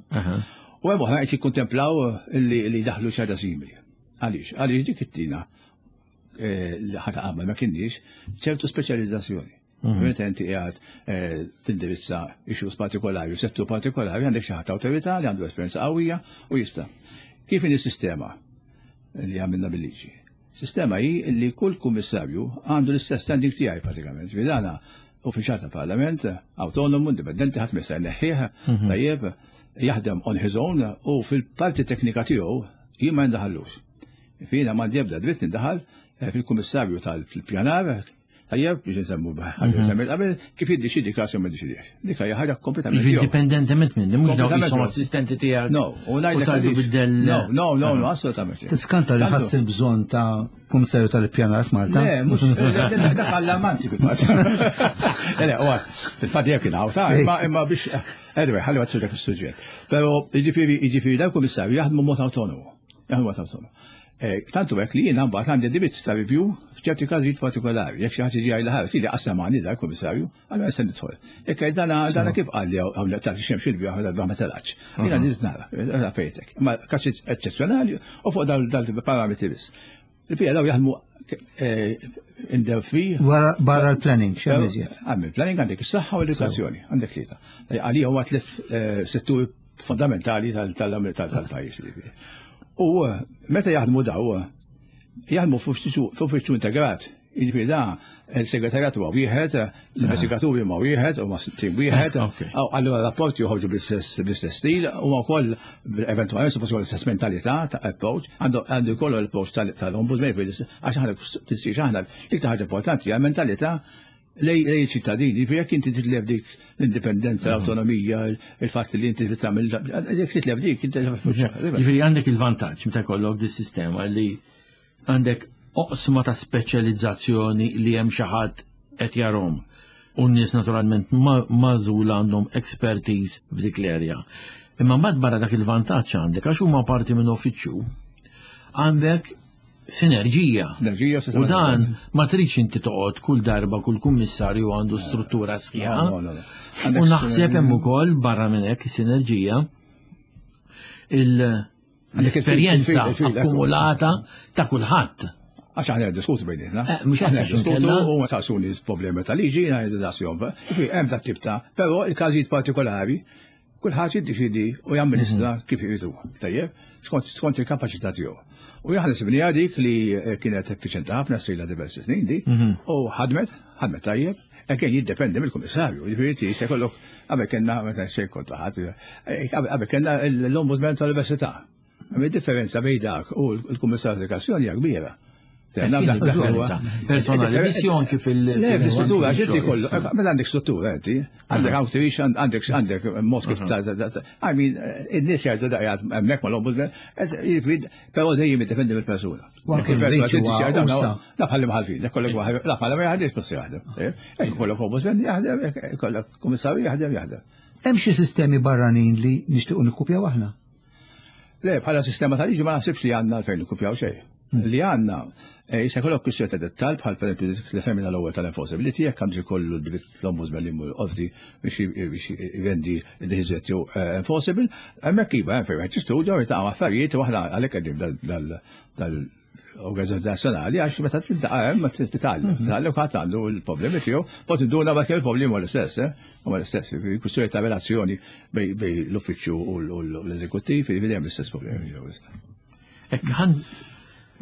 U hemm oħra qed jikkontemplaw li daħlu xi ħaġa simili. Għaliex? Għaliex dik it-tina eh, li ħata qabel ma kienx ċertu speċjalizzazzjoni. Mhm. Meta inti qiegħed eh, tindirizza issues partikolari u settur partikolari għandek xi ħadd awtorità li għandu esperjenza qawwija u jista'. Kif inhi sistema li għamilna bil-liġi? Sistema hi li kull kummissarju għandu l-istess standing tiegħi pratikament. Vidana uffiċjal ta' parlament, autonomu, indipendenti, ħadd ma jista' jneħħih, mhm. tajjeb, jaħdem on his own u fil-parti teknika tiegħu jien ma jindaħallux. Fina ma ebda dritt nindaħal eh, fil-kummissarju tal-pjanar. Tajjeb biex nsemmu ħaġa semmi qabel kif jiddeċidi każ jew ma jiddeċidix. Dik hija ħaġa kompletament. Jiġifieri indipendentement minni, mhux dawk jisom assistenti tiegħek. No, u ngħidlek biddel. No, no, no, no, assolutament. Tiskanta li ħass il-bżonn ta' kummissarju tal-ippjanar f'Malta. Le, mhux dak allarmanti fil-fatt. Le, le, fil-fatt jekk kien hawn ta' imma biex anyway, ħalli ma dak is-suġġett. Però jiġifieri jiġifieri dawk kummissarju jaħdmu mod autonomu. Jaħdmu mod autonomu. Eh, tantu hekk li jiena mbagħad għandi dritt ta' review f'ċerti każijiet partikolari. Jekk xi ħadd jiġi għajla ħares, ili qassamani dak kummissarju, allura se nidħol. Jekk dana dana kif qal li hawn tagħti xemx il-bjaħ darba ma telgħatx. Jiena nrid nara, nara fejtek. Ma każ eċċezzjonali u fuq dal-parametri biss. Il-pija daw jaħdmu eh, in the free. Barra l-planning, xemm iżjed. Għamil planning għandek is-saħħa u l-edukazzjoni, għandek tlieta. Għalija huwa tliet eh, setturi fundamentali tal-pajjiż. U eh, meta jaħdmu daw, jaħdmu f'uffiċċju integrat. Jiġifieri da il-segretarjat huwa wieħed, l-investigaturi huma wieħed, huma tim wieħed, eh, allura rapporti joħorġu bl-istess stil, huma wkoll eventwalment suppost l-istess mentalità ta' approach, għandu jkollu l-approach tal-ombudsman, għax aħna tinsiex aħna l-iktar ħaġa importanti hija mentalità lej ċittadini, jiġifieri jekk inti titlef dik l-indipendenza, l-autonomija, il-fatt li inti tagħmel, jekk titlef dik, inti Jiġifieri għandek il-vantaġġ meta jkollok dis sistema li għandek oqsma ta' speċjalizzazzjoni li hemm xi ħadd qed jarhom u n-nies naturalment magħżula għandhom expertise f'dik l-erja. Imma mbagħad barra dak il-vantaġġ għandek għax huma parti minn uffiċċju għandek sinerġija. Sinerġija U dan ma tridx inti toqgħod kull darba kull kummissarju għandu struttura sħiħa. U naħseb hemm ukoll barra minn hekk sinerġija l-esperjenza akkumulata ta' kulħadd. Għax aħna diskutu bejnietna. Eh, mhux aħna diskutu u ma saqsuni problemi ta' liġi, ngħidu dasjom. Hemm dat tip ta' però il-każijiet partikolari Kulħadd jiddeċiedi u jamministra mhm. kif irid huwa. Tajjeb, skont skont il-kapaċità tiegħu. U aħna sibniha dik li eh, kienet effiċjenti ħafna sejla diversi snin di, mhm. u ħadmet, ħadmet tajjeb, e kien jiddependi mill-kummissarju, jiġifieri se jkollok qabel kellna meta xejn kont ħadd, eh, qabel kellna l-ombudsman tal-università. Hemm differenza bejn dak u l-Kummissarju tal-Edukazzjoni hija kbira. Differenza. Personali, missjon kif il- Le, l-istruttura, ġinti kollu, mela għandek struttura, inti, għandek outreach, għandek għandek mod kif ta' I mean, in-nies jgħidu da jgħid hemmhekk mal-ombudsman, però dejjem jiddependi mill-persuna. La bħalli mħalfin, kollok waħed, la bħalli ma jaħdimx biss jaħdem. Jekk kollok ombudsman jaħdem, jekk kollok kummissarju jaħdem, jaħdem. Hemm xi sistemi barranin li nixtiequ nikkupjaw aħna? Le, bħala sistema ta' liġi ma naħsibx li għandna għalfejn nikkupjaw xejn. Hmm. Li għandna, eh, jista' jkollok kwistjoni ta' dettal bħal pereżempju determina l-ewwel tal-enforceability jekk għandu jkollu dritt l-ombudsman li jmur qorti biex jrendi d-deċiżjoni tiegħu eh, enforceable, hemmhekk iva hemm fejn wieħed jistudja u jiltaqa' affarijiet u aħna għalhekk qegħdin dal organizzazzjoni nazzjonali għax meta tiltaqa' hemm titgħallem, mhm. titgħallem ħadd għandu l-problemi tiegħu, pot induna ma kemm il-problemi huwa l-istess, eh? Huwa l-istess, kwistjoni ta' relazzjoni bej l-uffiċċju u l-eżekuttiv, jiġifieri hemm l-istess problemi. Hekk ħan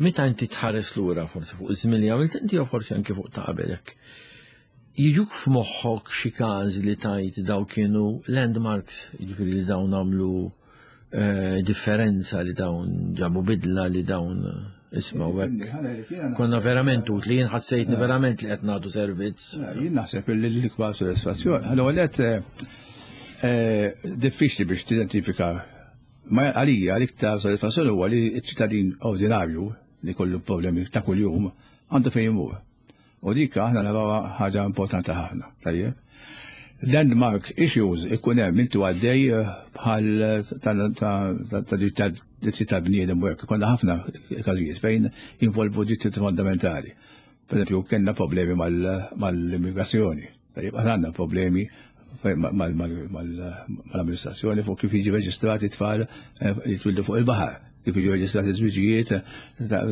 meta inti tħares lura forsi fuq iż-żmien li għamilt inti jew forsi anke fuq ta' qabelek. Jiġuk f'moħħok xi każi li tajt daw kienu landmarks, jiġifieri li dawn għamlu eh, differenza li dawn ġabu bidla li dawn eh, isma' hekk. Konna verament utli, jien ħassejtni eh. verament li qed nagħtu servizz. Jien naħseb li l-ikbar sodisfazzjoni. Allora qed diffiċli biex tidentifika ma għalija l-iktar sodisfazzjoni huwa li ċ-ċittadin ordinarju li kollu problemi ta' kuljum għandu fejn imur. U dik aħna narawha ħaġa importanti ħafna, tajjeb. Landmark issues ikun hemm intu għaddej eh, bħal ta' dritti tal-bniedem u hekk ikollna ħafna każijiet fejn jinvolvu dritti fondamentali. Per eżempju, kellna problemi mal-immigrazzjoni. Tajjeb, aħna għandna problemi mal-amministrazzjoni fuq kif jiġi reġistrati tfal eh, jitwildu fuq il-baħar, kif jiġu reġistrati żwiġijiet eh,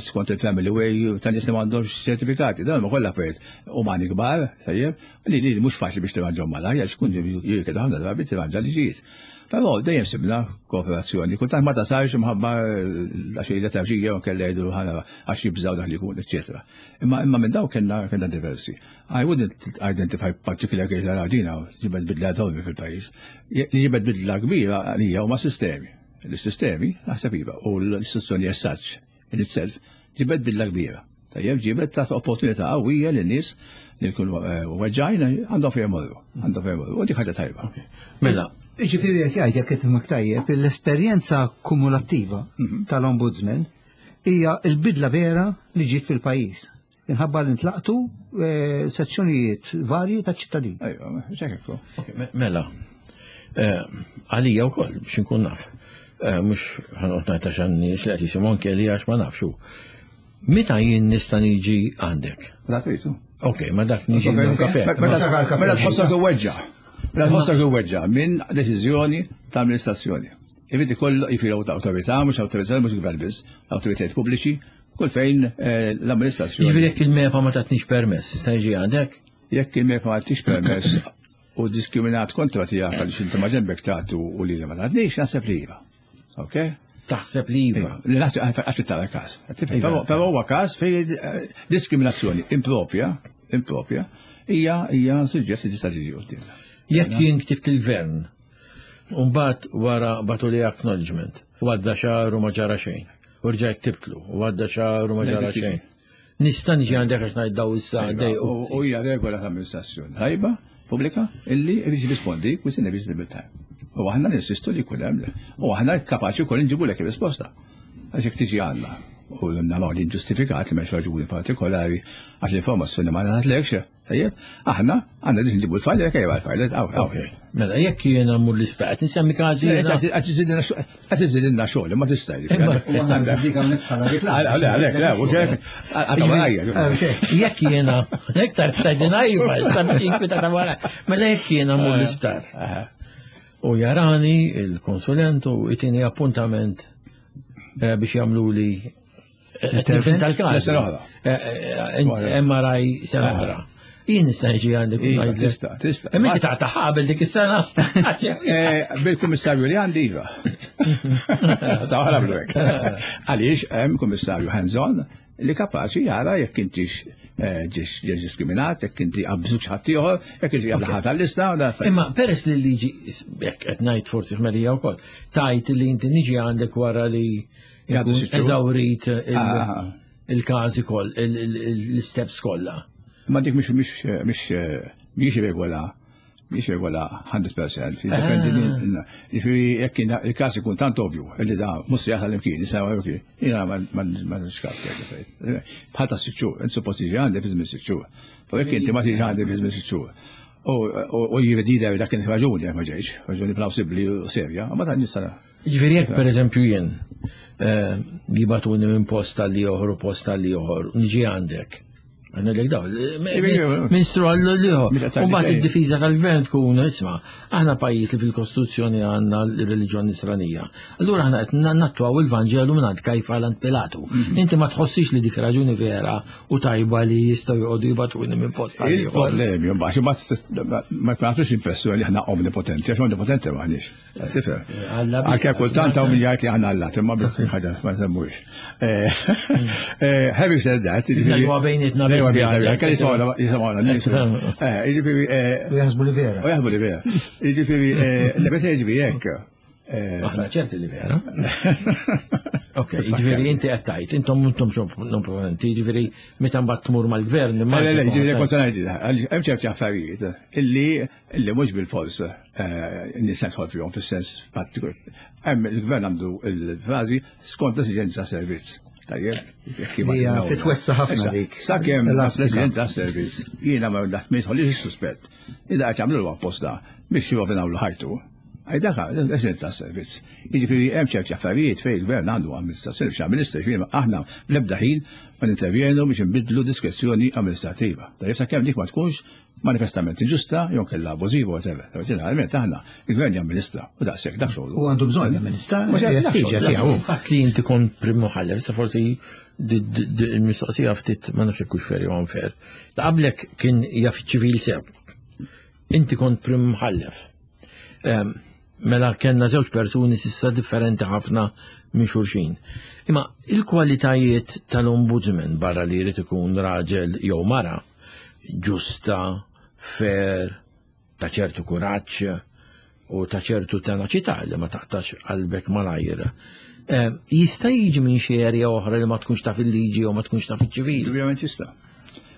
skont il-family way ta' nies li m'għandhomx ċertifikati. Dawn ma kollha affarijiet umani kbar, tajjeb, li li mhux faċli biex tirranġhom malajr għax kun jirkedu ħafna drabi tirranġa liġijiet. Però dejjem sibna kooperazzjoni, kultant ma tasarx imħabba għax il-letarġija u kellha jgħidu għax jibżgħu dak li jkun, eċċetera. Imma imma minn daw kellna kellna diversi. I wouldn't identify particular case għal dina ġibet bidla enormi fil-pajjiż. Li ġibet bidla kbira għalija huma sistemi. L-sistemi, naħseb iva, u l-istituzzjoni as such in itself ġibet bidla kbira. Tajjeb ġibet ta' opportunità qawwija lin nies li jkunu eh, weġġajn għandhom fejn imorru, għandhom fejn imorru. U dik ħaġa tajba. Mela. Ġifieri qed jgħid jekk qed nifhmek tajjeb, l-esperjenza kumulattiva mhm. tal-Ombudsman hija l-bidla vera li ġiet fil-pajjiż. Inħabba li ntlaqtu eh, sezzjonijiet varji ta' ċittadin. Ejwa, ċekekku. Mela, eh, għalija wkoll biex inkun naf. Eh, mhux ħanqod ngħid għax nies li qed jisimgħu anke li għax ma nafxu. Meta jien nista' niġi għandek? Meta tridu. Ok, ma dak niġi kafe. Mela tħossok iweġġa. Mela tħossok iweġġa minn deċiżjoni ta' amministrazzjoni. Irid ikollu jifiru awtorità, mhux awtorità, mhux gvern biss, awtoritajiet pubbliċi, kull fejn eh, l-amministrazzjoni. Jiġifieri jekk il-MEPA ma tatnix permess, tista' jiġi għandek? Jekk il-MEPA ma tatnix permess u diskriminat kontra tiegħek għaliex inti ma ġenbek tagħtu u li ma tatnix, naħseb li iva. Ok? Taħseb li iva. Li naħseb għax tara każ. Iva. Però huwa każ fejn eh, diskriminazzjoni impropja, impropja, hija hija suġġett li tista' tiġi quddiem. Jekk jien ktibt il-gvern, Umbat wara batu li acknowledgement, u għadda xahar u ma ġara xejn. U rġajt ktibtlu, u għadda xahar u ma ġara xejn. Nista' niġi għandek għax ngħid daw issa iva, dejqu. U hija regola ta' amministrazzjoni tajba pubblika illi biex jirrispondi within a reasonable time. U aħna ninsistu li jkun hemm u aħna kapaċi wkoll inġibulek ir-risposta. Għax jekk tiġi għandna u naraw li ġustifikat li m'hemmx raġuni partikolari għax l-informazzjoni ma ngħatlekx, Tajjeb, aħna għandna biex nġibu l-fajl, jekk ejja l-fajl, Ok. Mela, jekk jiena mmur l-isptar, qed insemmi każi. Qed iżidilna xogħol, ma tista' Jekk jiena, iktar tgħidilna iva, issa biex inkwita ta' wara. Mela jekk jiena mmur l-isptar. U jarani il-konsulent u jtini appuntament eh, biex jagħmluli Intervent tal-każ. Sena oħra. Eh, eh, MRI sena oħra. Jien nista' niġi għandek. Iva, tista', tista'. Imma inti taqta' qabel dik is-sena. Eh, bil-kummissarju li għandi iva. Ta' għamlu hekk. Għaliex hemm kummissarju hands-on li kapaċi jara jekk intix ġiex diskriminat, jekk inti qabżuk ħadd ieħor, jekk inti qabel ħadd għall-lista. Imma peress li l-liġi jekk qed ngħid forsi ħmerija wkoll, tajt li inti niġi għandek wara li Eżawrit ah. il-każi koll, l-steps kollha. Ma dik mhix mhix mhix mhix regola mhix regola 100%. Jiddependi ah. jiġifieri jekk il-każ ikun tant ovvju li da mhux se jasal imkien, jista' imkien. Jiena ma nixkas. Bħal ta' sitt xhur, int suppost tiġi għandi fi żmien sitt xhur. Però jekk inti ma tiġi għandi fi żmien sitt xhur. U jrid jidher dak kien raġuni jekk ma ġejx, raġuni plawsibbli u serja, ma ta' nista' Jiġifieri jekk pereżempju jien eh, jibatuni minn post għal ieħor u post għal ieħor, niġi għandek. Għandek daw, ministru għallu liħor. U bat id-difiża tal-gvern tkun, isma, aħna pajjiż li fil-Kostituzzjoni għandna l-reliġjon nisranija. Allura aħna qed nattwaw il-Vanġelu minn għand Kajfa għand Pilatu. Mhm. Inti ma tħossix li dik raġuni vera u tajba li jistgħu joqogħdu jibatuni minn post għal ieħor. Il-problemi, mbagħad ma nagħtux impressjoni li aħna omnipotenti, għax omnipotenti maħniex. Tifhem. Anke kultant hawn min jgħid li aħna allat, imma ħaġa ma semmux. Eh, eh, having said that, jiġifieri. Huwa bejnietna biss. Anke jisimgħuna nies. Eh, jiġifieri. U jaħsbu li vera. U jaħsbu li vera. Jiġifieri, li meta jiġri hekk. Aħna ċerti li vera. Ok, jiġifieri inti qed tgħid, intom intom non proponenti, jiġifieri meta mbagħad tmur mal-gvern. Le, le, jiġifieri kont ngħid, hemm ċerti affarijiet illi Illi mhux bil-fors eh, nista' nidħol fihom fis-sens prattiku. Hemm il-gvern għandu l-frażi skont l-esiġenza servizz. Tajjeb, jekk Hija titwessa ħafna dik. Sakemm l-esiġenza servizz jiena ma jidħolix is-suspett. Ida qed jagħmlu apposta biex jirovinaw ħajtu. Dak l-esiġenza servizz. Jiġifieri hemm ċerti affarijiet fejn il-gvern għandu amministrazzjoni biex amministra, jiġifieri aħna bl-ebda ħin ma nintervjenu biex inbidlu diskrezzjoni amministrativa. Tajjeb sakemm dik ma tkunx manifestament inġusta jew kellha abbużiva whatever. Ġeneralment aħna il-gvern jamministra u daqshekk dak xogħlu. U għandu bżonn jamministra. Fatt li inti kont prim muħallef, sa forsi il-mistoqsija ftit ma nafx hekk fair jew unfair. Ta' qablek kien jaf ċivil sew. Inti kont prim muħallef. Ehm, mela kellna żewġ persuni sissa differenti ħafna minn xulxin. Imma il-kwalitajiet tal-ombudsman barra li jrid ikun raġel jew mara, ġusta, fair, ta' ċertu kuraġġ u ta' ċertu tenaċità li ma taqtax qalbek malajr. Jista' jiġi minn xi area oħra li ma tkunx taf il-liġi jew ma tkunx taf iċ-ċivil. Ovvjament jista'.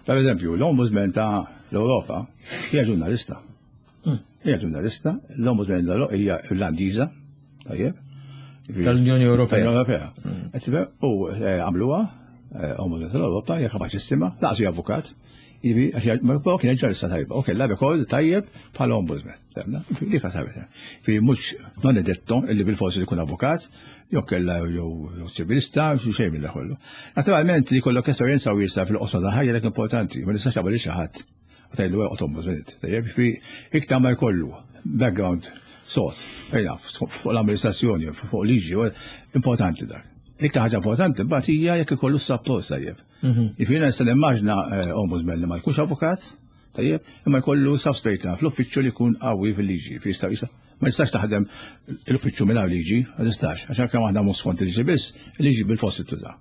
Per eżempju, l-Ombudsman ta' l-Ewropa hija ġurnalista. Hija ġurnalista, l-Ombudsman hija Irlandiża, tajjeb. Tal-Unjoni Ewropea. Tal-Unjoni Ewropea. U għamluha, Ombudsman tal-Ewropa, hija kapaċissima, laqas hija avukat. Jiġifieri, ma kienet ġurnalista tajba, u kellha rekord tajjeb bħala ombudsman. Dik sabet. Fi mhux non è detto illi bil-forsi li jkun avukat, jew kellha jew ċivilista, xejn minn kollu. Naturalment li jkollok esperjenza wiesa fil-qosma ta' ħajja dak importanti, ma nistax tagħmel xi ħadd u tgħidlu eqgħod ombudsman. Tajjeb, fi iktar ma jkollu background sod, fejn fuq l-amministrazzjoni, fuq liġi, importanti dak. Iktar ħaġa importanti mbagħad hija jekk ikollu support tajjeb. Jiġifieri nista' nimmaġna ombudsman li ma jkunx avukat, tajjeb, imma jkollu substrate fl-uffiċċju li jkun qawwi fil-liġi, jista' jista' ma jistax taħdem l-uffiċċju mingħajr liġi, ma tistax, għax anke aħna mhux skont il-liġi biss, il-liġi bil-fost tuża.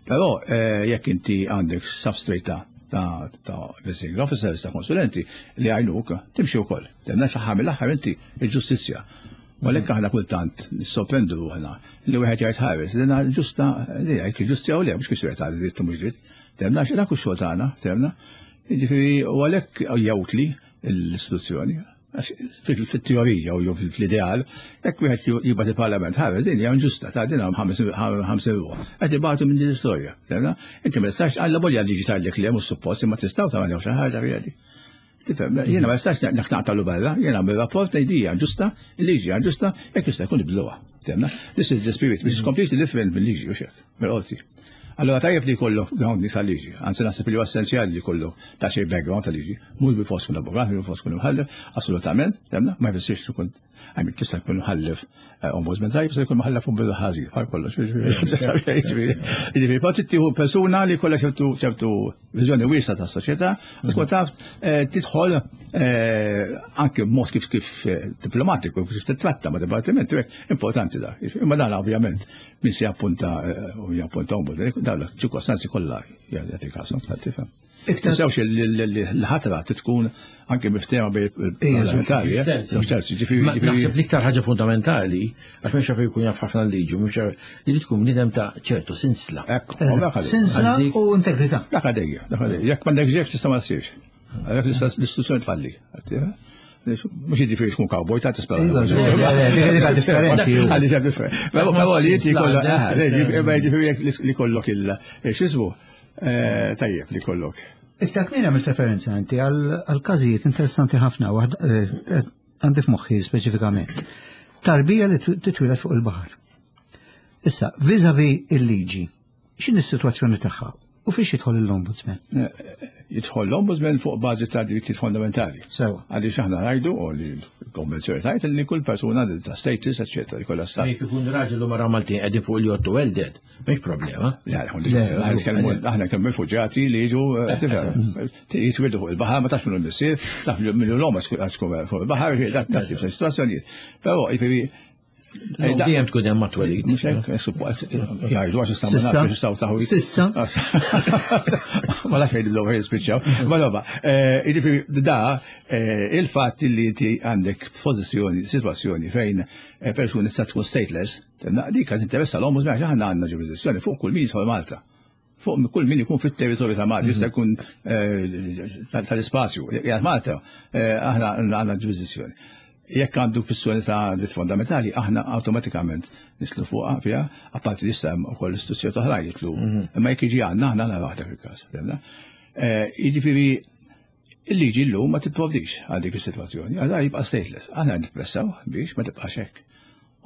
Però jekk inti għandek substrate ta' investigating officers, ta' konsulenti li għajnuk, timxi wkoll. Temna xi mill-aħħar inti il-ġustizzja. U għalhekk aħna kultant nissorprendu ruħna li wieħed jgħid ħares li ġusta li jgħid ġusti jew le mhux kwistjoni ta' dritt u mhux dritt. Temna xi dak xogħol tagħna, temna. Jiġifieri u għalhekk jgħutli l-istituzzjoni. Fit-teorija u jew fl-ideal, jekk wieħed jibgħat il-Parlament ħares din hija inġusta ta' din hemm 50 ruħ. Qed ibatu minn din l-istorja. Temna? Inti ma tistax alla volja liġi tgħidlek li hemm suppost imma tistgħu tagħmel xi ħaġa fiha. Tifhem, jiena ma nistax naqtalu barra, jiena għamil rapport ngħid hija ġusta, il-liġi hija ġusta, jekk jista' jkun ibdluha. Temna? This is the spirit, which is completely different mill-liġi u xek, mill-qorti. Allora tajjeb li jkollok ground tal-liġi, anzi naħseb li huwa essenzjali li jkollok ta' xi background tal-liġi, mhux bil-fors kun avukat, mhux bil-fors kun imħallef, assolutament, temna, ma jfissirx li kun Għamil tista' jkun mħallef ombudsman tajjeb, se jkun mħallef ombudsman ħażin, bħal kollox. Jiġifieri, pa tittieħu persuna li kollha ċertu ċertu viżjoni wiesgħa tas-soċjetà, tkun taf tidħol anke b'mod kif kif diplomatiku, kif titratta ma' dipartiment, importanti da. Imma dan ovvjament min se jappunta u jappunta ombudsman, dan ċirkostanzi kollha jagħti kasu, tifhem. Tinsewx l-ħatra tkun anke miftehma bejn il-parlamentari. Naħseb l-iktar ħaġa fundamentali, għax mhux jaf jkun jaf ħafna liġi, mhux li tkun bniedem ta' ċertu sinsla. Sinsla u integrità. Dak għadejja, dak għadejja. Jekk m'għandek ġef tista' ma ssirx. Għalhekk l-istituzzjoni tfalli. Mhux jiġifieri tkun cowboy ta' tispera. Għalli ġab differenti. Però li inti kollok, jiġifieri li kollok il-xismu. Tajjeb li kollok. Iktar kmieni għamilt referenza inti għal każijiet interessanti ħafna, għandi f'moħħi speċifikament. Tarbija li titwieled fuq il-baħar. Issa, vis-a-vis il-liġi, x'inhi s-sitwazzjoni tagħha u fiex jidħol l-Ombudsman? Jidħol l-Ombudsman fuq bażi ta' drittijiet fondamentali. Sewa. Għaliex aħna ngħidu u li l-konvenzjoni tgħid li kull persuna ta' status, eċetera, jkollha stat. Jekk ikun raġel u mara Maltin qegħdin fuq il-jott u welded, mhix problema. Le, aħna kemm rifuġjati li jiġu jitwildu fuq il-baħar, ma tafx minnu l-missier, taf minnu l-omm għax tkun fuq il-baħar, dak tip ta' situazzjonijiet. Però jiġifieri Dejjem tkun hemm mat-twelid. Mhux hekk, jgħidu għax issa ma nafx jistgħu taħu. Sissa. Ma nafx jgħidu l jispiċċaw. Ma roba, jiġifieri da il-fatt li inti għandek pożizzjoni, sitwazzjoni fejn persuni tista' tkun stateless, dik qed interessa l-ombudsman għax aħna għandna ġurisdizzjoni fuq kull min jidħol Malta. Fuq kull min ikun fit-territorju ta' Malta, jista' jkun tal-ispazju. Jgħid Malta, aħna għandna ġurisdizzjoni. Jekk għandu kwistjoni ta' dritt fondamentali, aħna awtomatikament nitlu fuqha fiha, apparti li issa hemm ukoll istituzzjoni oħrajn jitlu. Imma jekk jiġi għandna, aħna naraw dak il-każ. Jiġifieri il-liġi llum ma tipprovdix għal dik is-sitwazzjoni, għal jibqa' stateless. Aħna nippressaw biex ma tibqax hekk.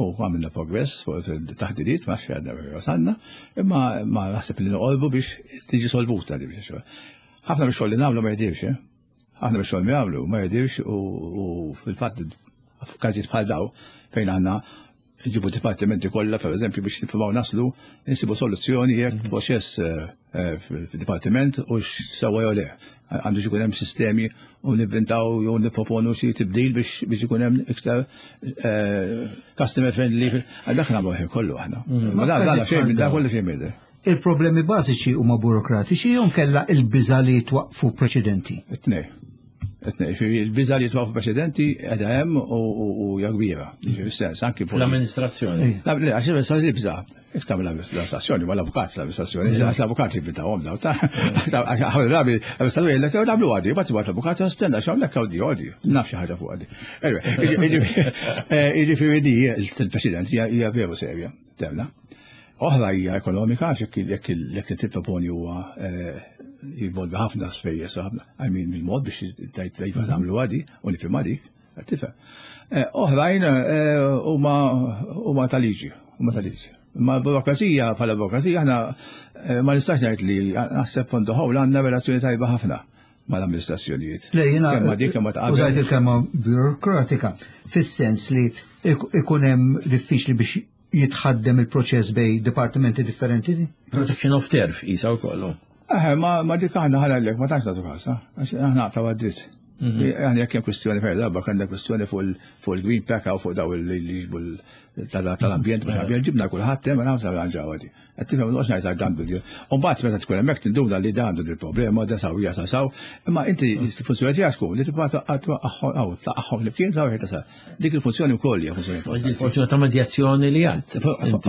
U għamilna progress fuq il-taħdidiet, ma għadna wasalna, imma ma naħseb li noqorbu biex tiġi solvuta di biex. Ħafna biex xogħol li nagħmlu ma jidirx, eh? Aħna biex xogħol li nagħmlu ma jidirx u fil-fatt f'każijiet bħal daw fejn aħna nġibu dipartimenti kollha pereżempju biex nippruvaw naslu nsibu soluzzjoni jekk proċess fid-dipartiment u sewwa jew le. Għandu jkun hemm sistemi u nivvintaw jew nipproponu xi tibdil biex ikun hemm iktar customer friendly. Għal dak nagħmlu ħin kollu aħna. Ma dan xejn minn dak kollu xejn minn Il-problemi bażiċi huma burokratiċi jew kellha il-biża li twaqfu preċedenti? It-tnej. Il-biża li twaqqfu preċedenti qiegħda hemm u hija kbira. Fis-sens anki l-amministrazzjoni. Le, għax il-biża Jek tagħmel l-amministrazzjoni, ma l-avukat l-amministrazzjoni, għax l-avukat li bidawhom daw ta' għax ħafna drabi l-amministrazzjoni jgħidlek jew nagħmlu għadi, mbagħad tibgħat l-avukat stenna x'hawnhekk hawn di għodi, naf xi ħaġa fuq għadi. Jiġifieri di il-President hija veru serja, temna. Oħra hija ekonomika, għax jekk li tipproponi huwa eh, jivolvi ħafna spejjeż ħafna, I mean mill-mod biex tgħid iva tagħmlu għadi u nifhimha dik. Tifhem. Eh, oħrajn eh, huma ta' liġi, huma ta' liġi. Ma burokrazija bħala burokrazija aħna eh, ma nistax ngħid li naħseb on the whole għandna relazzjoni tajba ħafna mal-amministrazzjonijiet. Le, jiena kemm dik kemm ta' Użajt il-kelma burokratika fis-sens li ikun hemm diffiċli biex jitħaddem il-proċess bej dipartimenti differenti? Protection of turf isa wkoll. Eh, ma, ma dik aħna ħalallek, ma tantx nagħtu kasa, għax aħna naqtaw għad-dritt. Mhm. Aħna jekk hemm kwistjoni fejn darba kellna kwistjoni fuq il-green pack u fuq daw li jiġbu tal-ambjent, mhux ambjent ġibna kulħadd hemm għamsa ranġaw għadi. Qed tifhem noqgħodx ngħid għal dan bil U mbagħad meta tkun hemmhekk tinduna li dan għandu il-problema, da saw hija sa saw, imma inti l-funzjoni tiegħek tkun li tibqa' taqgħhom flimkien sa wieħed tasal. Dik il-funzjoni wkoll hija funzjoni importanti. Il-funzjoni ta' medjazzjoni li għad.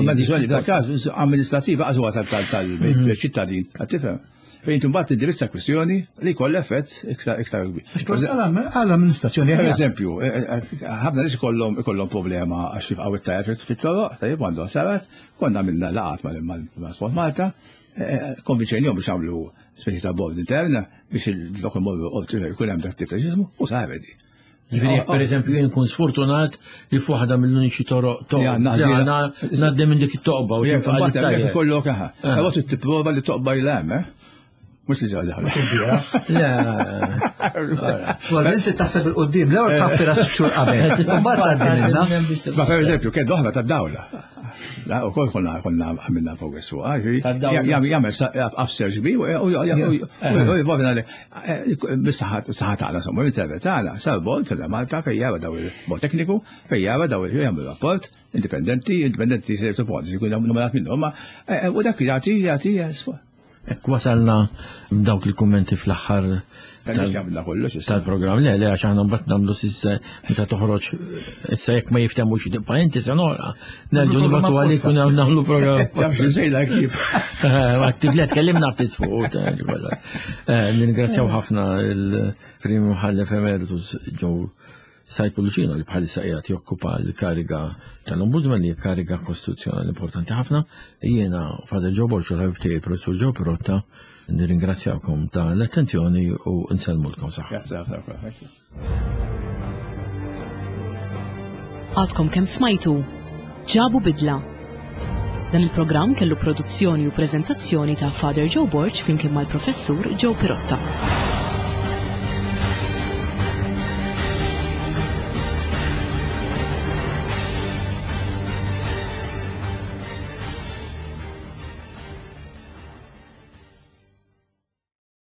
Medjazzjoni f'dak każ amministrativa għaż huwa tal-ċittadin, qed tifhem. Fejn imbagħad tindirizza kwistjoni li jkollha effett iktar iktar kbir. Għall-amministrazzjoni. Per eżempju, eh, eh, ħafna nies ikollhom ikollhom problema għax jibqgħu it-tajjeb fit-toroq, tajjeb għandhom sarat, konna għamilna laqgħat mal-Sport Malta, eh, konvinċejnihom biex għamlu speċi ta' board intern biex il-dok imorru jkun hemm dak tip ta' ġismu u saret di. Ġifieri jekk pereżempju jien nkun sfortunat li f'waħda mill-uniċi toroq toqba. Ngħaddi minn dik it-toqba u jinfaq kollok aha. Ah. Però trid tipprova li toqba ilha hemm, eh? Mhux li ġaġa. Le. Wara inti taħseb il-qudiem, l-ewwel tħaffira sitt xhur qabel. U mbagħad tgħaddi minnha. Ma pereżempju kien oħra tad-dawla. U kol konna konna għamilna progress fuq. Jagħmel upsurge bi u jibgħu Bis-saħħa tagħna, insomma, mill-server tagħna, sar bord tal Malta fejn jara daw il-bord tekniku, fejn jara daw il jagħmlu rapport indipendenti, indipendenti se jibtu jkun nominat minnhom, eh, u dak jagħti jagħti Ekk wasalna dawk il-kummenti fl-aħħar tal-programm. Le, le, għax aħna mbagħad nagħmlu sissa meta toħroġ issa jekk ma jiftemux tibqa' inti se noqra. Nerġgħu nibgħatu għalik u nagħmlu programm. Tafx li sejla kif. Ma tiblet tkellimna ftit fuq. Eh, ningrazzjaw ħafna il-Prim Mħallef Emeritus Joe Sajpu Lucino li bħalissa qiegħed jokkupa l-kariga tal-Ombudsman li kariga kostituzzjonali importanti ħafna. Jiena Father Joe Borġu l-ħabib tiegħi Professur Joe Pirotta nirringrazzjawkom ta' l-attenzjoni u nsellmulkom saħħa. Grazie ħafna. Għadkom kemm smajtu ġabu bidla. Dan il-programm kellu produzzjoni u preżentazzjoni ta' Father Joe Borg flimkien mal-Professur Joe Pirotta.